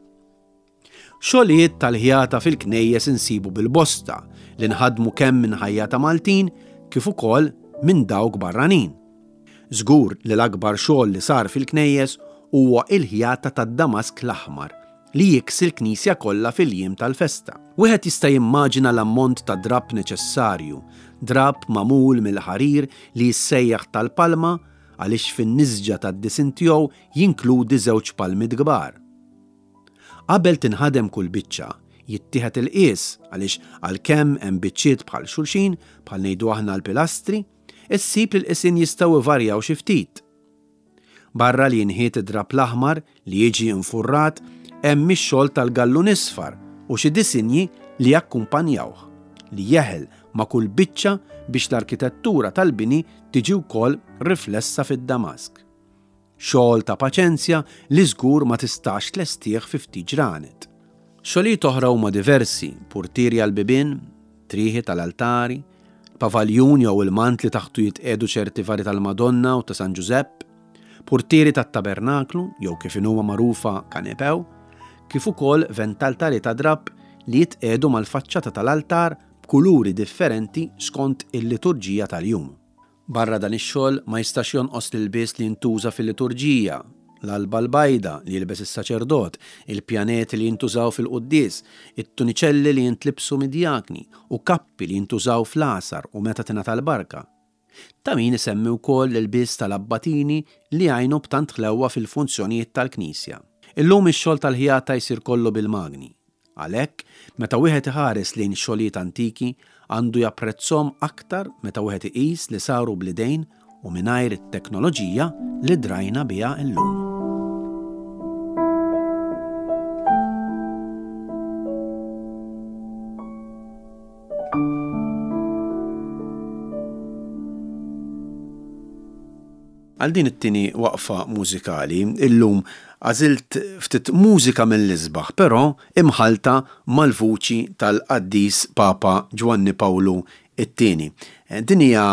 Xogħlijiet tal-ħjata fil-knejjes insibu bil-bosta li nħadmu kemm minn ħajjata Maltin kif ukoll minn dawk barranin. Żgur li l-akbar xogħol li sar fil-knejjes huwa il-ħjata tad-Damask l-aħmar li jiksi l-knisja kollha fil-jiem tal-festa. Wieħed jista' jimmaġina l-ammont ta' drab neċessarju, drab magħmul mill-ħarir li jissejjaħ tal-palma għaliex fin-nisġa tad-disin tiegħu jinkludi żewġ palmit kbar. Qabel tinħadem kull biċċa, jittieħed il-qies għaliex għalkemm hemm biċċiet bħal xulxin, bħal ngħidu aħna l-pilastri, issib li l-qisien jistgħu ivarjaw xi ftit. Barra li jinħiet id-drab l-aħmar li jiġi infurrat, hemm ix-xogħol tal-gallun isfar u xi disinji li jakkumpanjawh, li jeħel ma' kull biċċa biex l-arkitettura tal-bini tiġi wkoll riflessa fid-Damask. Xogħol ta' paċenzja li żgur ma tistax tlestih fi ftit ġranet. Xogħlijiet oħra huma diversi, purtieri għall-bibien, trieħi tal-altari, pavaljun jew il-mant li taħtu jitqegħdu ċerti vari tal-Madonna u ta' San Ġużepp, purtieri tat-tabernaklu jew kif inhuma magħrufa kanepew, kif ukoll ventaltari ta' drab li jitqegħdu mal-faċċata tal-altar b'kuluri differenti skont il-liturġija tal-jum. Barra dan ix-xogħol ma jistax jonqos l-ilbies li jintuża fil-liturġija, l-alba l-bajda li jilbes is-saċerdot, il-pjaneti li jintużaw fil-quddies, it-tuniċelli li jintlibsu mid-djakni u kappi li jintużaw fl-għasar u meta tingħata l-barka. Ta' min isemmi wkoll l-ilbies tal-abbatini li jgħinu b'tant ħlewwa fil-funzjonijiet tal-Knisja. Illum ix-xogħol tal-ħjata jsir kollu bil-magni. Għalhekk, meta wieħed iħares lejn xogħlijiet antiki, għandu japprezzhom aktar meta wieħed iqis li saru bl-idejn u mingħajr it-teknoloġija li drajna biha llum. Għal din it-tieni waqfa mużikali, illum għażilt ftit mużika mill-isbaħ, però imħalta mal-vuċi tal-qaddis Papa Ġwanni Pawlu it-tieni. Din hija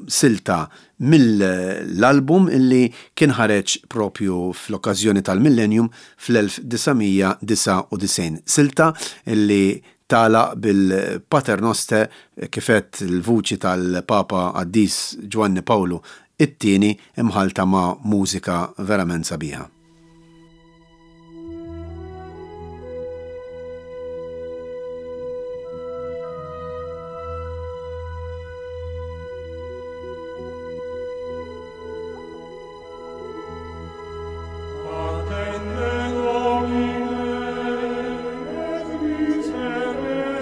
silta mill-album illi kien ħareġ propju fl-okkażjoni tal-Millennium fl-elf disa' mija disa' u disgħin. Silta illi tala bil-Paternoster kifet il-vuċi tal-Papa Qaddis Ġwanni Pawlu it-tieni imħalta ma' mużika verament sabiħa.
Attende Domine et miserere.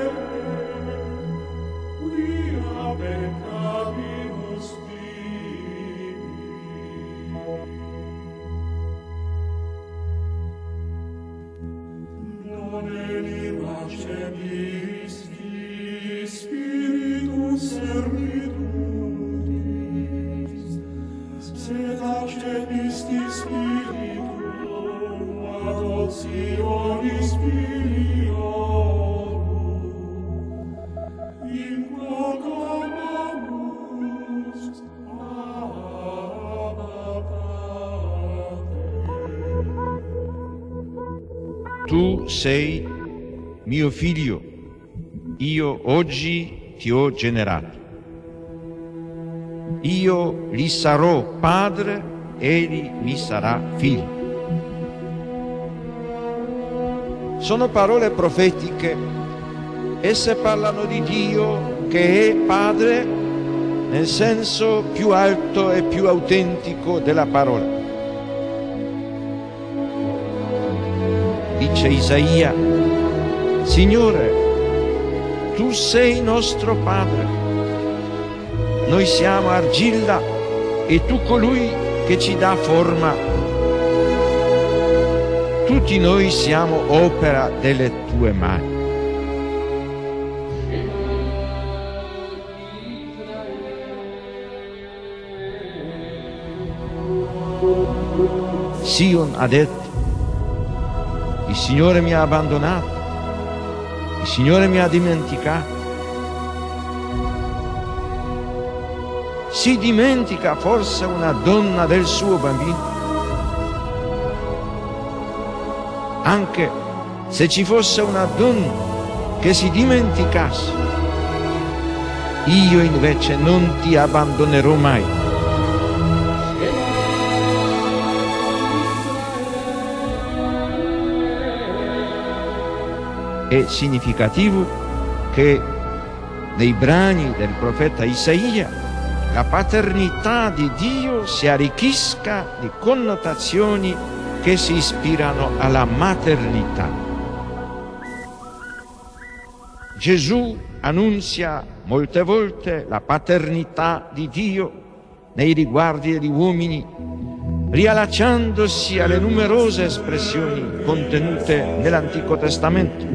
Tu sei mio figlio, io oggi ti ho generato. Io gli sarò padre, egli mi sarà figlio. Sono parole profetiche, esse parlano di Dio che è padre nel senso più alto e più autentico della parola. Dice Isaia: Signore, tu sei nostro Padre, noi siamo argilla e tu colui che ci dà forma. Tutti noi siamo opera delle tue mani. Sion ha detto: il Signore mi ha abbandonato, il Signore mi ha dimenticato. Si dimentica forse una donna del suo bambino? Anche se ci fosse una donna che si dimenticasse, io invece non ti abbandonerò mai. È significativo che nei brani del profeta Isaia la paternità di Dio si arricchisca di connotazioni che si ispirano alla maternità. Gesù annunzia molte volte la paternità di Dio nei riguardi degli uomini, riallacciandosi alle numerose espressioni contenute nell'Antico Testamento.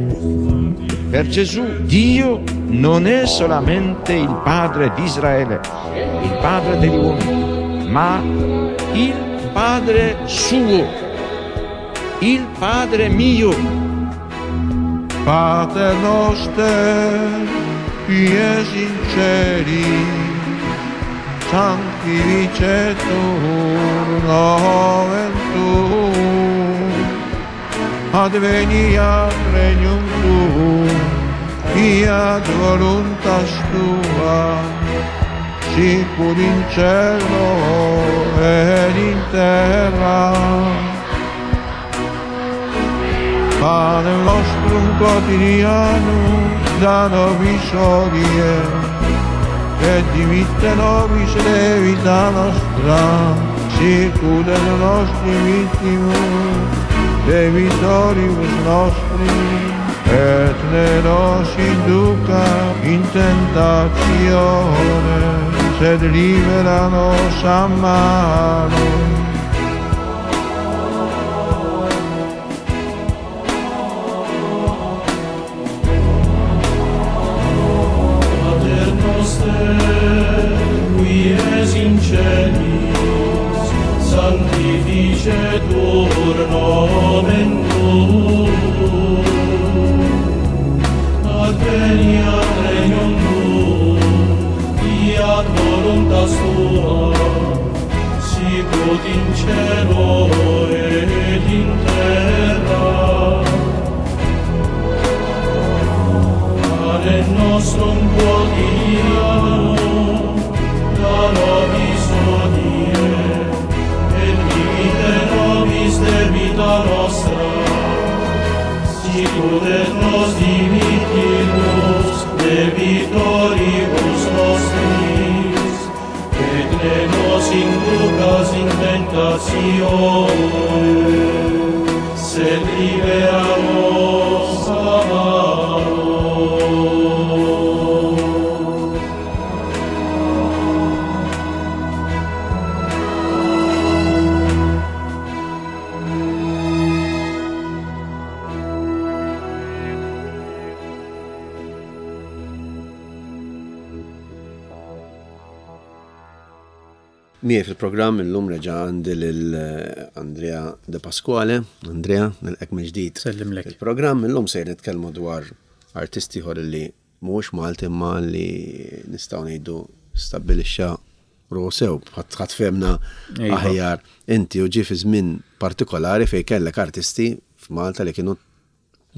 Per Gesù Dio non è solamente il Padre di Israele, il Padre degli uomini, ma il Padre suo, il Padre mio.
Pater noster, qui es in celis, sanctificetur nomen tuum, adveniat regnum tuum, fiat voluntas tua, sicut in cielo et in terra. Panem nostrum quotidianum da nobis hodie, et dimitte nobis debita nostra, sicut et nostri mittimus debitoribus nostri, et ne nos induca in tentatione, sed libera nos a malo.
Pater noster, qui es in celis, sanctificetur nomen tuum, adveniat regnum tuum, fiat voluntas tua, sicut in cielo et in terra. Pane nostrum quotidianum da nobis hodie, et dimitte nobis debita nostra, sicut et nos dimittimus debitoribus nostris, et ne nos inducas in tentatione, sed libera nos a malo.
Miegħi fil-programm illum reġa' għandi lil eh, Andrea De Pasquale. Andrea, nilqgħek mill-ġdid.
Sellimlek.
Il-programm illum se nitkellmu dwar artisti ieħor li mhuwiex Malti imma li nistgħu ngħidu stabbilixxa ruħu sew, ħadd fehmna
Iva.
aħjar inti u ġie fi żmien partikolari fejn kellek artisti f'Malta li kienu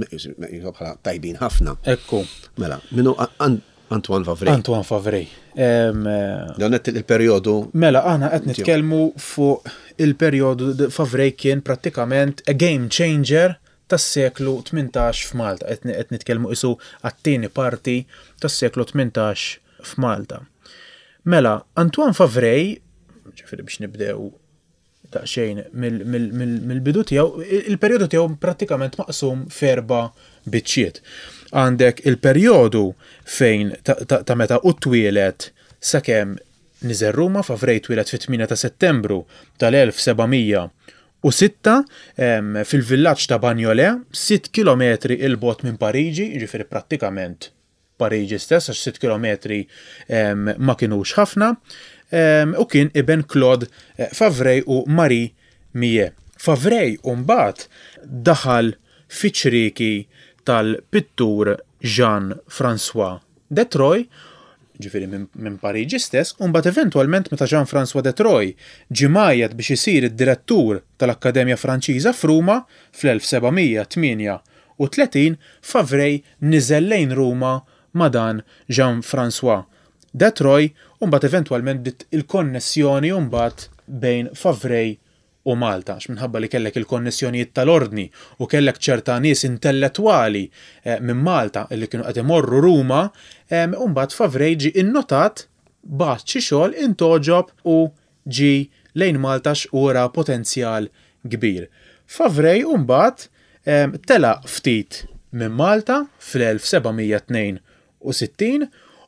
meqjus- meqjusa bħala tajbin ħafna.
Ekku,
Mela, minnu An- Antoine Favray.
Antoine Favray. Em, eh,
Dan qed il-perjodu
Mela, aħna qed nitkellmu fuq il-perjodu d- Favray kien prattikament a game changer tas-seklu tmintax f'Malta. Qed qed nitkellmu isu għat-tieni parti tas-seklu tmintax f'Malta. Mela, Antoine Favray, ġifieri biex nibdew daqsxejn mill- mill- mill- mill-bidu tiegħu, il-perjodu tiegħu prattikament maqsum f'erba' biċċiet. Għandek il-perjodu fejn ta' ta' ta' meta u twieled sakemm niżel Ruma. Favray twieled fit-tmienja ta' Settembru tal-elf seba' mija u sitta em, fil-villaġġ ta' Bagnolet, sitt kilometri 'il bogħod minn Pariġi, jiġifieri prattikament Pariġi stess, għax sitt kilometri em, ma kinux ħafna, em, u kien iben Claude eh, Favray u Marie Millet. Favray mbagħad daħal fiċ-ċrieki tal-pittur Jean-François Detroy, ġifieri minn min Pariġi stess, u mbagħad eventwalment meta Jean-François Detroy ġie mgħajjat biex isir id-direttur tal-Akkademja Franċiża f'Ruma fl-elf seba' mija tmienja u tletin, Favray niżel lejn Ruma ma' dan Jean-François Detroy, u mbagħad eventwalment bdiet il-konnessjoni mbagħad bejn Favray u Malta, għax minħabba li kellek il-konnessjonijiet tal-ordni u kellek ċerta nies intellettwali eh, minn Malta li kienu qed imorru Ruma, em, u mbagħad Favray ġi innotat, bagħat xi xogħol, intgħoġob u ġi lejn Malta x'ura potenzjal kbir. Favray mbagħad em, telaq ftit minn Malta fl-elf seba' mija tnejn u sittin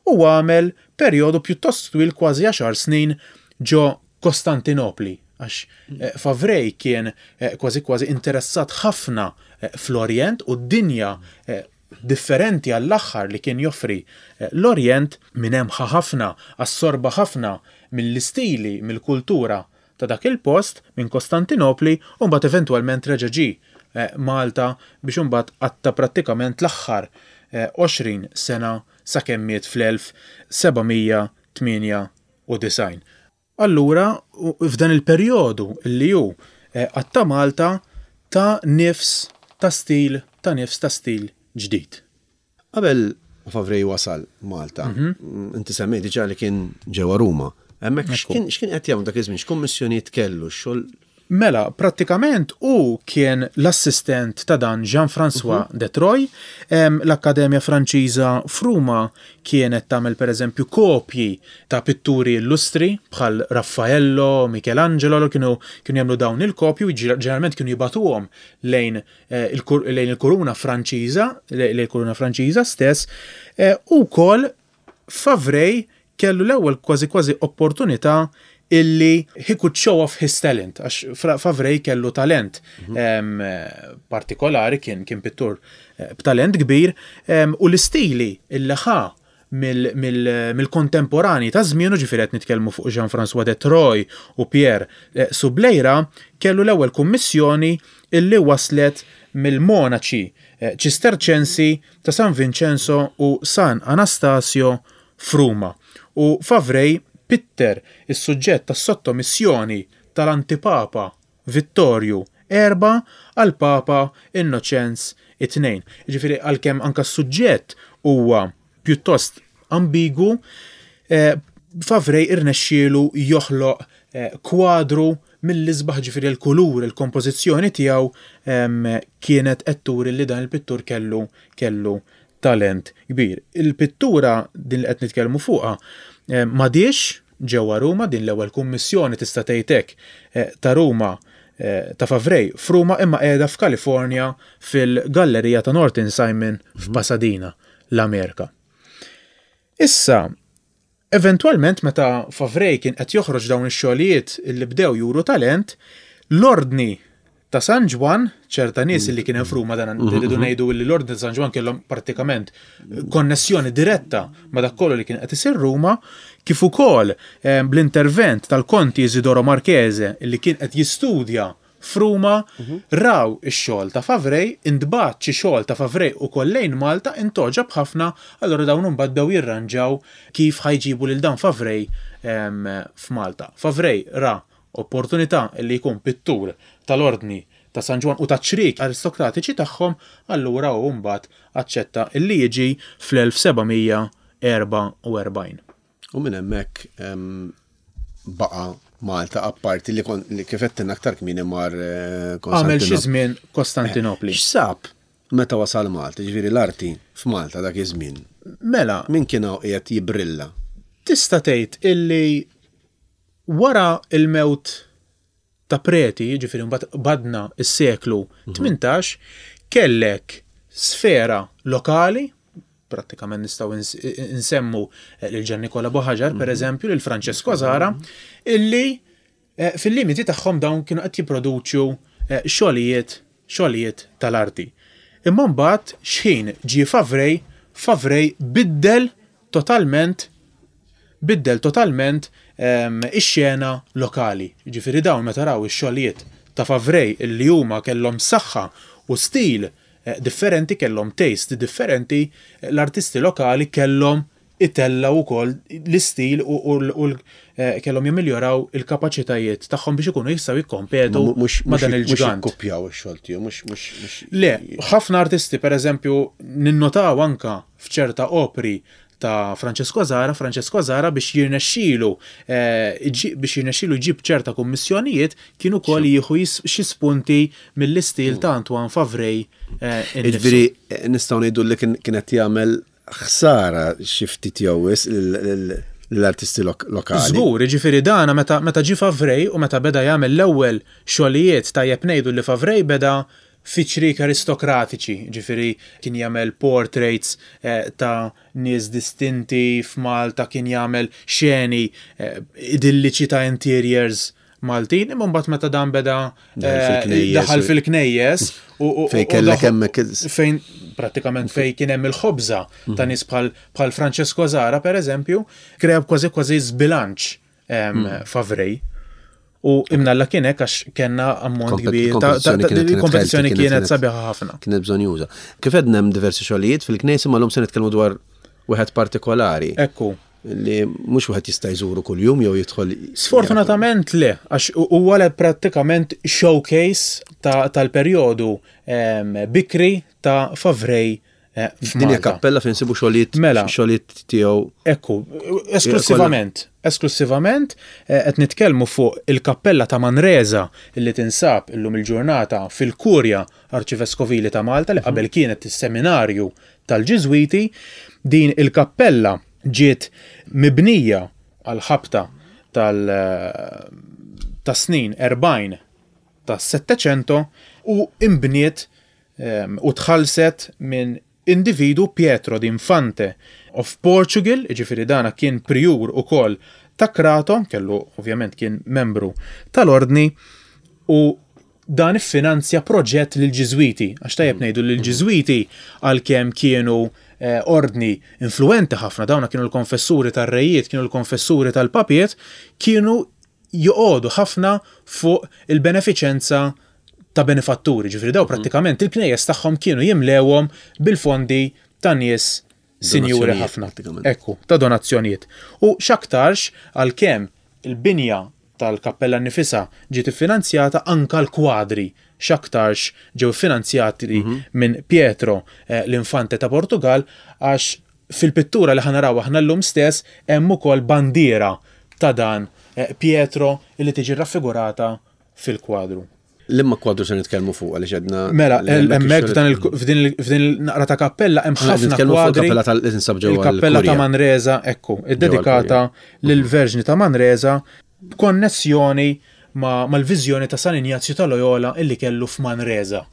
u għamel perjodu pjuttost twil, kważi għaxar snin, ġo Kostantinopli, għax eh, Favray kien eh, kważi kważi interessat ħafna eh, fl-Orient u d-dinja eh, differenti għall-aħħar li kien joffri eh, l-Orient. Minn hemm ħa ħafna, assorba ħafna mill-istili, mill-kultura ta' dak il-post minn Kostantinopli, u mbagħad eventwalment reġa' ġie eh, Malta biex imbagħad qatta prattikament l-aħħar eh, għoxrin sena sakemm miet fl-elf seba' mija tmienja u disgħin. Allura, u- f'dan il-perjodu li hu eh, qatta Malta ta' nifs ta' stil, ta' nifs ta' stil ġdid.
Qabel Favray wasal Malta, mm, inti semmejt diġà li kien ġewwa Ruma. Hemmhekk x'kien x'kien qed jagħmel dak iż-żmien, x'kummissjonijiet kellu, xogħol?
Mela, prattikament u kien l-assistent ta' dan Jean-François uh -huh. Detroy. Em, L-Akkademja Franċiża f'Ruma kienet tagħmel pereżempju kopji ta' pitturi illustri bħal Raffaello, Michelangelo, li kienu kienu jagħmlu dawn il-kopji u ġeneralment kienu jibagħtuhom lejn eh, il-kur- lejn il-kuruna Franċiża, lejn il-kuruna Franċiża stess, eh, u wkoll Favray kellu l-ewwel kważi kważi opportunità illi he could show off his talent, għax Fra- Favray kellu talent em, eh, partikolari, kien kien pittur eh, b'talent kbir, em, u l-istili illi ħa mill- mill- mill-kontemporani ta' żmienu, ġifieri qed nitkellmu fuq Jean-François Detroy u Pierre eh, Subleyra, kellu l-ewwel kummissjoni illi waslet mill-monaċi eh, Ċisterċensi ta' San Vincenzo u San Anastasio f'Ruma. U Favray pitter is-suġġett tas-sottomissjoni tal-antipapa Vittorju Erba għal Papa Innoċenz it-tnejn. Ġifieri għalkemm anka s-suġġett huwa pjuttost ambigu, eh, Favray irnexxielu joħloq eh, kwadru mill-isbaħ, ġifieri l-kulur, il-kompożizzjoni tiegħu em, kienet qed turi li dan il-pittur kellu kellu talent kbir. Il-pittura din li qed nitkellmu fuqha eh, m'għadhiex ġewwa Ruma, din l-ewwel kummissjoni, tista' tgħid hekk, eh, ta' Ruma eh, ta' Favray f'Ruma, imma qiegħda f'Kalifornja fil-Gallerija ta' Norton Simon f'Pasadena, l-Amerika. Issa, eventualment meta Favray kien qed joħroġ dawn ix-xogħlijiet li bdew juru talent, l-ordni ta' San Ġwann, ċerta nies li kien hemm f'Ruma, dan rridu ngħidu li l-Ordni ta' San Ġwann kellhom prattikament konnessjoni diretta ma' dak kollu li kien qed isir Ruma, kif ukoll eh, bl-intervent tal-Konti Isidoro Marchese li kien qed jistudja f'Ruma, raw ix-xogħol ta' Favrej, intbagħat xi xogħol ta' Favrej ukoll lejn Malta, intgħoġob ħafna, allura dawn imbagħad bdew jirranġaw kif ħa jġibu lil dan Favrej em, f'Malta. Favrej ra opportunità li jkun pittur tal-Ordni ta' San Ġwann u ta' ċriek aristokratiċi tagħhom, allura hu mbagħad aċċetta illi jiġi fl-elf seba' mija erbgħa u erbgħin.
U minn hemmhekk em, baqa' Malta, apparti li, kon, li kif għedtilna aktar kmieni mar eh,
Għamel xi
Konstantinopli.
żmien Kostantinopli.
X'sab meta wasal Malta, ġifieri l-arti f'Malta dak iż-żmien?
Mela,
Min kien hawn qiegħed jibrilla?
Tista' tgħid illi wara il-mewt ta' Preti, ġifieri mbagħad badna s-seklu tmintax, kellek sfera lokali, prattikament nistgħu ins- insemmu eh, lil Gian Nikola Buhagiar, per eżempju, lil Francesco Zara, illi eh, fil-limiti tagħhom dawn kienu qed jipproduċu eh, xogħlijiet xogħlijiet tal-arti. Imma mbagħad xħin ġie Favrej, Favrej biddel totalment biddel totalment em, ix-xena lokali. Ġifieri dawn meta raw ix-xogħlijiet ta' Favrej illi huma kellhom saħħa u stil eh, differenti, kellhom taste differenti, eh, l-artisti lokali kellhom itellaw ukoll l-istil u, u, u eh, kellhom jimiljoraw il-kapaċitajiet tagħhom biex ikunu jistgħu jikkompetu
Mhux
ma' dan il-ġgant.
Jikkupjaw ix-xogħol tiegħu, mhux mhux mhux
Le, ħafna artisti, per eżempju, ninnotaw anka f'ċerta opri ta' Francesco Zara, Francesco Zara biex jirnexxilu eh, iġi- biex jirnexxilu jġib ċerta kummissjonijiet kienu kol jieħu jis- xi spunti mill-istil ta' Antoine Favray eh, innifsu.
Ġifieri eh, nistgħu ngħidu li kien kienet jagħmel ħsara xi ftit jew wisq l-artisti lok- lokali.
Żgur, ġifieri dana meta meta ġie Favrej u meta beda jagħmel l-ewwel xogħlijiet, tajjeb ngħidu li Favrej beda fi ċriek aristokratiċi, ġifieri kien jagħmel portraits eh, ta' nies distinti f'Malta, kien jagħmel xeni eh, idilliċi ta' interiors Maltin, imma mbagħad meta dan beda
Daħal
eh,
fil-knejjes
daħal
u-
fil-knejjes u u-
Fej
u
kellek
daħal-
hemmhekk il-
fejn prattikament fej kien hemm il-ħobża ta' nies bħal bħal Francesco Zara, per eżempju, krea kważi kważi żbilanċ em, Favrej. U imnalla kien hekk għax kellna ammont
Kompet-
kbir ta' ta-
kompetizzjoni
ta'
kienet- kienet
kompetizzjoni
healthy,
kienet sabiħa ħafna.
Kienet bżonn juża. Kif għedna, hemm diversi xogħlijiet fil-knejjes, imma llum se nitkellmu dwar wieħed partikolari
Ekku.
li mhux wieħed jista' jżuru kuljum jew jidħol.
Sfortunatament le, għax huwa le prattikament showcase ta- tal-perjodu em, bikri ta' Favrej eh,
Din hija
f'Malta.
kappella fejn nsibu xogħlijiet
Mela.
xogħlijiet tiegħu.
Ekku, esklusivament, esklusivament eh, qed nitkellmu fuq il-kappella ta' Manresa illi tinsab illum il-ġurnata fil-Kurja Arċiveskovili ta' Malta, li qabel kienet is-seminarju tal-Ġiżwiti. Din il-kappella ġiet mibnija għal ħabta tal ta' snin erbgħin ta' Settecento u imbniet em, u tħallset minn individu Pietro d'Infante of Portugal, ġifieri dana kien priur u kol ta' Crato, kellu ovvjament kien membru tal-ordni u dan iffinanzja proġett lil ġiżwiti, għax tajjeb ngħidu lil ġiżwiti għalkemm kienu eh, ordni influenti ħafna, dawna kienu l-konfessuri tar-rejiet, kienu l-konfessuri tal-papiet, kienu joqogħdu ħafna fuq il-benefiċenza ta' benefatturi, ġifieri daw prattikament il-knejjes tagħhom kienu jimlewhom bil-fondi ta' nies sinjuri
Donazzjonijiet,
ħafna.
prattikament.
Ekku, ta' donazzjonijiet. U x'aktarx għalkemm il-binja tal-kappella nifisha ġiet iffinanzjata, anka l-kwadri x'aktarx ġew finanzjati minn Pietro eh, l-Infante ta' Portugal, għax fil-pittura li ħa naraw aħna llum stess hemm ukoll bandiera ta' dan eh, Pietro li tiġi raffigurata fil-kwadru.
Liema kwadru se nitkellmu fuq, għaliex għedna
Mela,
li hemmhekk
hemmhekk
ix-xogħol-
f'dan il- f'din il- f'din il-naqra ta' kappella hemm
Aħna
ħafna
nitkellmu fuq
kwadri.
il-kappella tal- li tinsab ġewwa
Il-kappella ta'
l-Kurja.
Manresa, ekku, iddedikata lill-Verġni ta' Manresa b'konnessjoni ma' mal-viżjoni ta' San Injazju ta' Loyola illi kellu f'Manresa.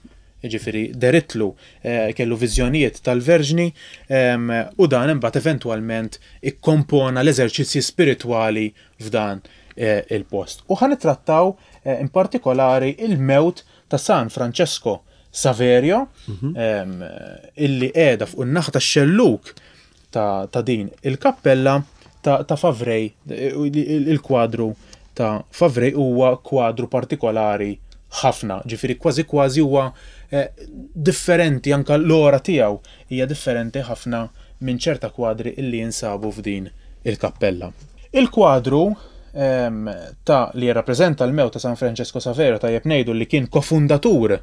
Ġifieri deritlu eh, kellu viżjonijiet tal-Verġni em, u dan imbagħad eventwalment ikkompona l-eżerċizzji spiritwali f'dan eh, il-post. U ħa nittrattaw eh, in partikolari il-mewt ta' San Francesco Saverio, em, illi qiegħda fuq in-naħa tax-xelluk ta', ta' din il-kappella ta', ta' Favray, il-kwadru ta' Favray huwa kwadru partikolari ħafna, ġifieri kważi kważi huwa eh, differenti, anka l-ora tiegħu hija differenti ħafna minn ċerta kwadri illi jinsabu f'din il-kappella. Il-kwadru em, ta' li jirrappreżenta l-mewt ta' San Francesco Saverio, tajjeb ngħidu li kien kofundatur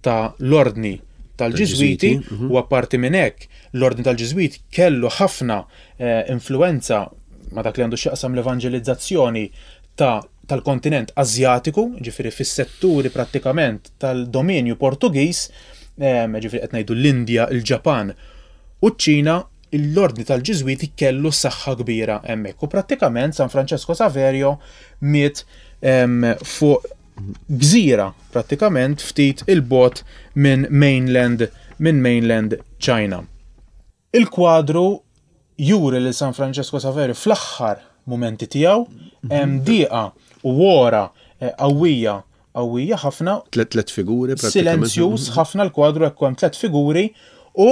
ta' l-ordni tal-Ġiżwiti,
mhm.
u apparti minn hekk l-ordni tal-Ġiżwiti kellu ħafna eh, influenza ma' dak li għandu x'jaqsam l-evanġelizzazzjoni ta' tal-kontinent Azjatiku, ġifieri fis-setturi prattikament tal-dominju Portugiż, em, ġifieri qed ngħidu l-Indja, il-Ġapan u ċ-Ċina, l-ordni tal-Ġiżwiti kellu saħħa kbira hemmhekk. U prattikament San Francesco Saverio miet em, fuq gżira prattikament ftit il-bogħod minn mainland minn mainland China. Il-kwadru juri lil San Francesco Saverio fl-aħħar momenti tiegħu, hemm diqa u wora eh, qawwija qawwija ħafna.
Tlet tlet figuri prattikament.
Silenzjuż ħafna l-kwadru, hekk hemm tlet figuri u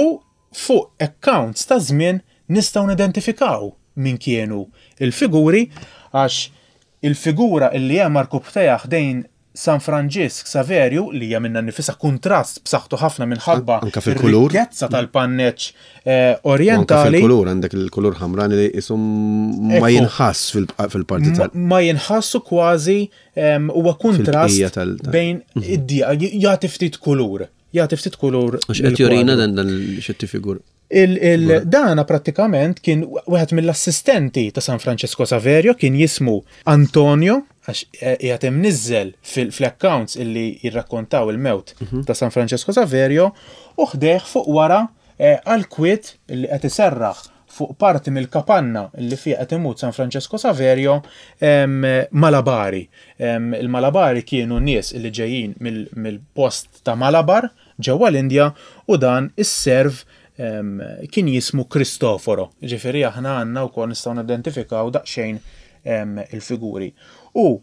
fuq accounts ta' żmien nistgħu nidentifikaw min kienu il-figuri, għax il-figura illi hemm għarkupptejha ħdejn San Franġisk Saverju, li hija minna nifisha kuntrast b'saħħtu ħafna minħabba
Anka fil-kulur.
ir-rikkezza tal-panneċ eh,
U anka
orientali.
fil-kulur, għandek il-kulur ħamrani li jisum ma
Ekku.
jinħass fil- fil-parti tal.
Ma jinħassu kważi, em, huwa kuntrast
Fil-bqija tal- tal-
bejn id-dija, jagħti ftit kulur. Jagħti ftit kulur.
Għax qed jurina
lill-kwadru.
dan dan xetti figur.
Il, il, dana prattikament kien wieħed mill-assistenti ta' San Francesco Saverio, kien jismu Antonio, għax eh, qiegħed imniżżel fil-accounts illi jirrakkontaw il-mewt ta' San Francesco Saverio, u ħdejh fuq wara eh, għal-kwiet illi qed iserraħ fuq parti mill-kapanna illi fiha qed imut San Francesco Saverio em, Malabari. Em, Il-Malabari kienu nies illi ġejjin mill- mill-post ta' Malabar ġewwa l-Indja, u dan is-serv em, kien jismu Cristoforo. Ġifieri aħna għandna wkoll nistgħu nidentifikaw daqsxejn em, il-figuri. U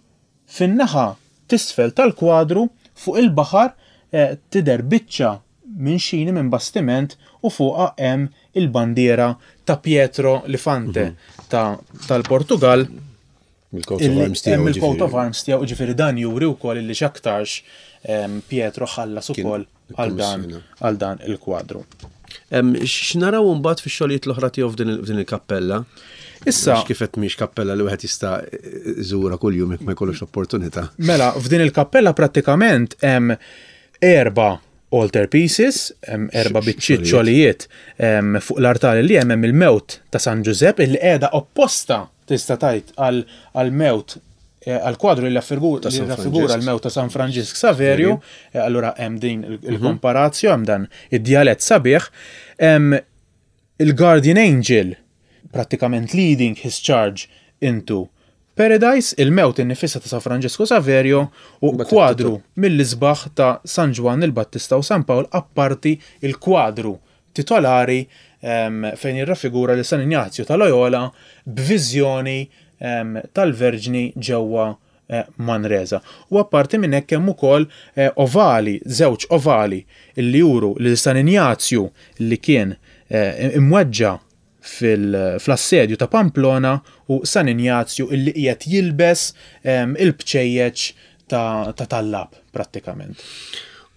fin-naħa t'isfel tal-kwadru fuq il-baħar eh, tidher biċċa minn xini minn bastiment u fuqha hemm il-bandiera ta' Pietro Lifante ta' tal-Portugal.
Il-coat of
Illi
arms tiegħu.
Hemm il-coat of
ġifieri.
arms tiegħu, ġifieri dan juri wkoll illi x'aktarx em, Pietro ħallas
Kien
ukoll għal dan
ikkommissjona.
għal dan il-kwadru.
Em, X'naraw mbagħad fix-xogħlijiet l-oħra tiegħu f'din il- f'din il-kappella?
Issa,
Għax kif qed mhix kappella li wieħed jista' iżurha kuljum jekk ma jkollux opportunità.
Mela, f'din il-kappella prattikament hemm erba' altar pieces, hemm erba' biċċiet xogħlijiet em, fuq l-artali li hemm hemm il-mewt ta' San Ġużepp illi qiegħda opposta tista' tgħid għal għal-mewt eh, għal-kwadru li raffigura
Ta' San
li raffigura
Franġisk.
l-mewt ta' San Franġisk Saverio, eh, allura hemm din il- il-komparazzjo, hemm dan id-djalett sabiħ, hemm il-Guardian Angel prattikament leading his charge into Paradise, il-mewt innifisha ta' San Francesco Saverio u
Mbagħad
kwadru mill-isbaħ ta' San Ġwann il-Battista u San Pawl, apparti il-kwadru titolari em, fejn jirraffigura li San Ignazio ta' Loyola b'viżjoni em, tal-Verġni ġewwa eh, Manresa. U apparti minn hekk hemm ukoll eh, ovali, żewġ ovali illi juru li San Ignazju li kien eh, imweġġa fil- fl-assedju ta' Pamplona u San Ignazju illi qiegħed jilbes em, il-bċejjeċ ta' ta' tallab prattikament.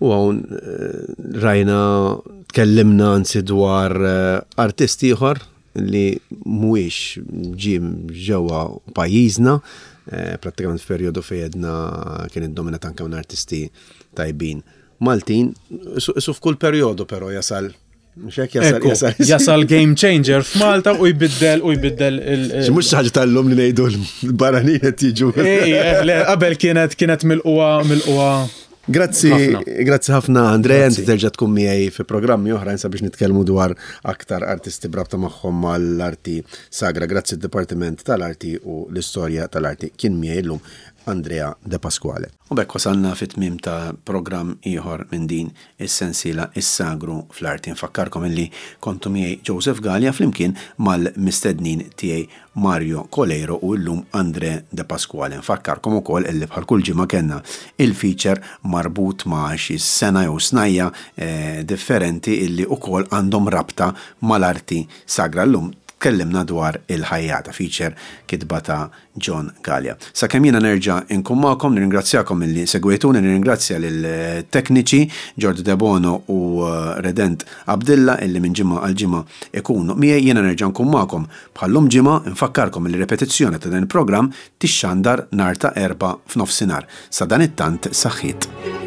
U hawn eh, rajna, tkellimna anzi dwar eh, artist ieħor li mhuwiex ġie ġewwa pajjiżna, eh, prattikament f'perjodu fejn jedna kien iddominat anke minn artisti tajbin Maltin, su, su f'kull perjodu però jasal, mhux hekk, jasal,
Ekku,
jasal,
jasal game changer f'Malta u jbiddel u jbiddel il-
Xi mhux xi ħaġa tal-lum li ngħidu l-barranin qed jiġu.
Ej, eh, le, qabel kienet kienet mill-qwa mill-qwa
Grazzi,
Ħafna.
grazzi ħafna Andrea, inti terġa' tkun miegħi fi programmi oħrajn sabiex nitkellmu dwar aktar artisti brabta magħhom mal-arti sagra. Grazzi d-Dipartiment tal-Arti u l-Istorja tal-Arti. Kien miegħi llum Andrea De Pasquale. U b'hekk wasalna fit-tmiem ta' programm ieħor minn din is-sensiela Is-Sagru fl-Arti. Nfakkarkom illi kontu miegħi Joseph Gallia flimkien mal-mistednin tiegħi Mario Coleiro u llum Andre De Pasquale. Nfakkarkom ukoll illi bħal kull ġimgħa kellna il-feature marbut ma' xi sena jew snajja eh, differenti illi ukoll għandhom rabta mal-arti sagra. Llum tkellimna dwar il-ħajjata, feature kitba ta' John Gallia. Sakemm jiena nerġa' nkun magħkom, nirringrazzjakom illi segwejtuni, nirringrazzja lill-tekniċi Giorgio De Bono u eh, Redent Abdilla illi minn ġimgħa għal ġimgħa ikunu miegħi. Jiena nerġa' nkun magħkom bħallum ġimgħa. Nfakkarkom li repetizzjoni ta' dan il-programm tixxandar nhar ta' Erbgħa f'nofsinhar. Sa dan it-tant, saħħiet.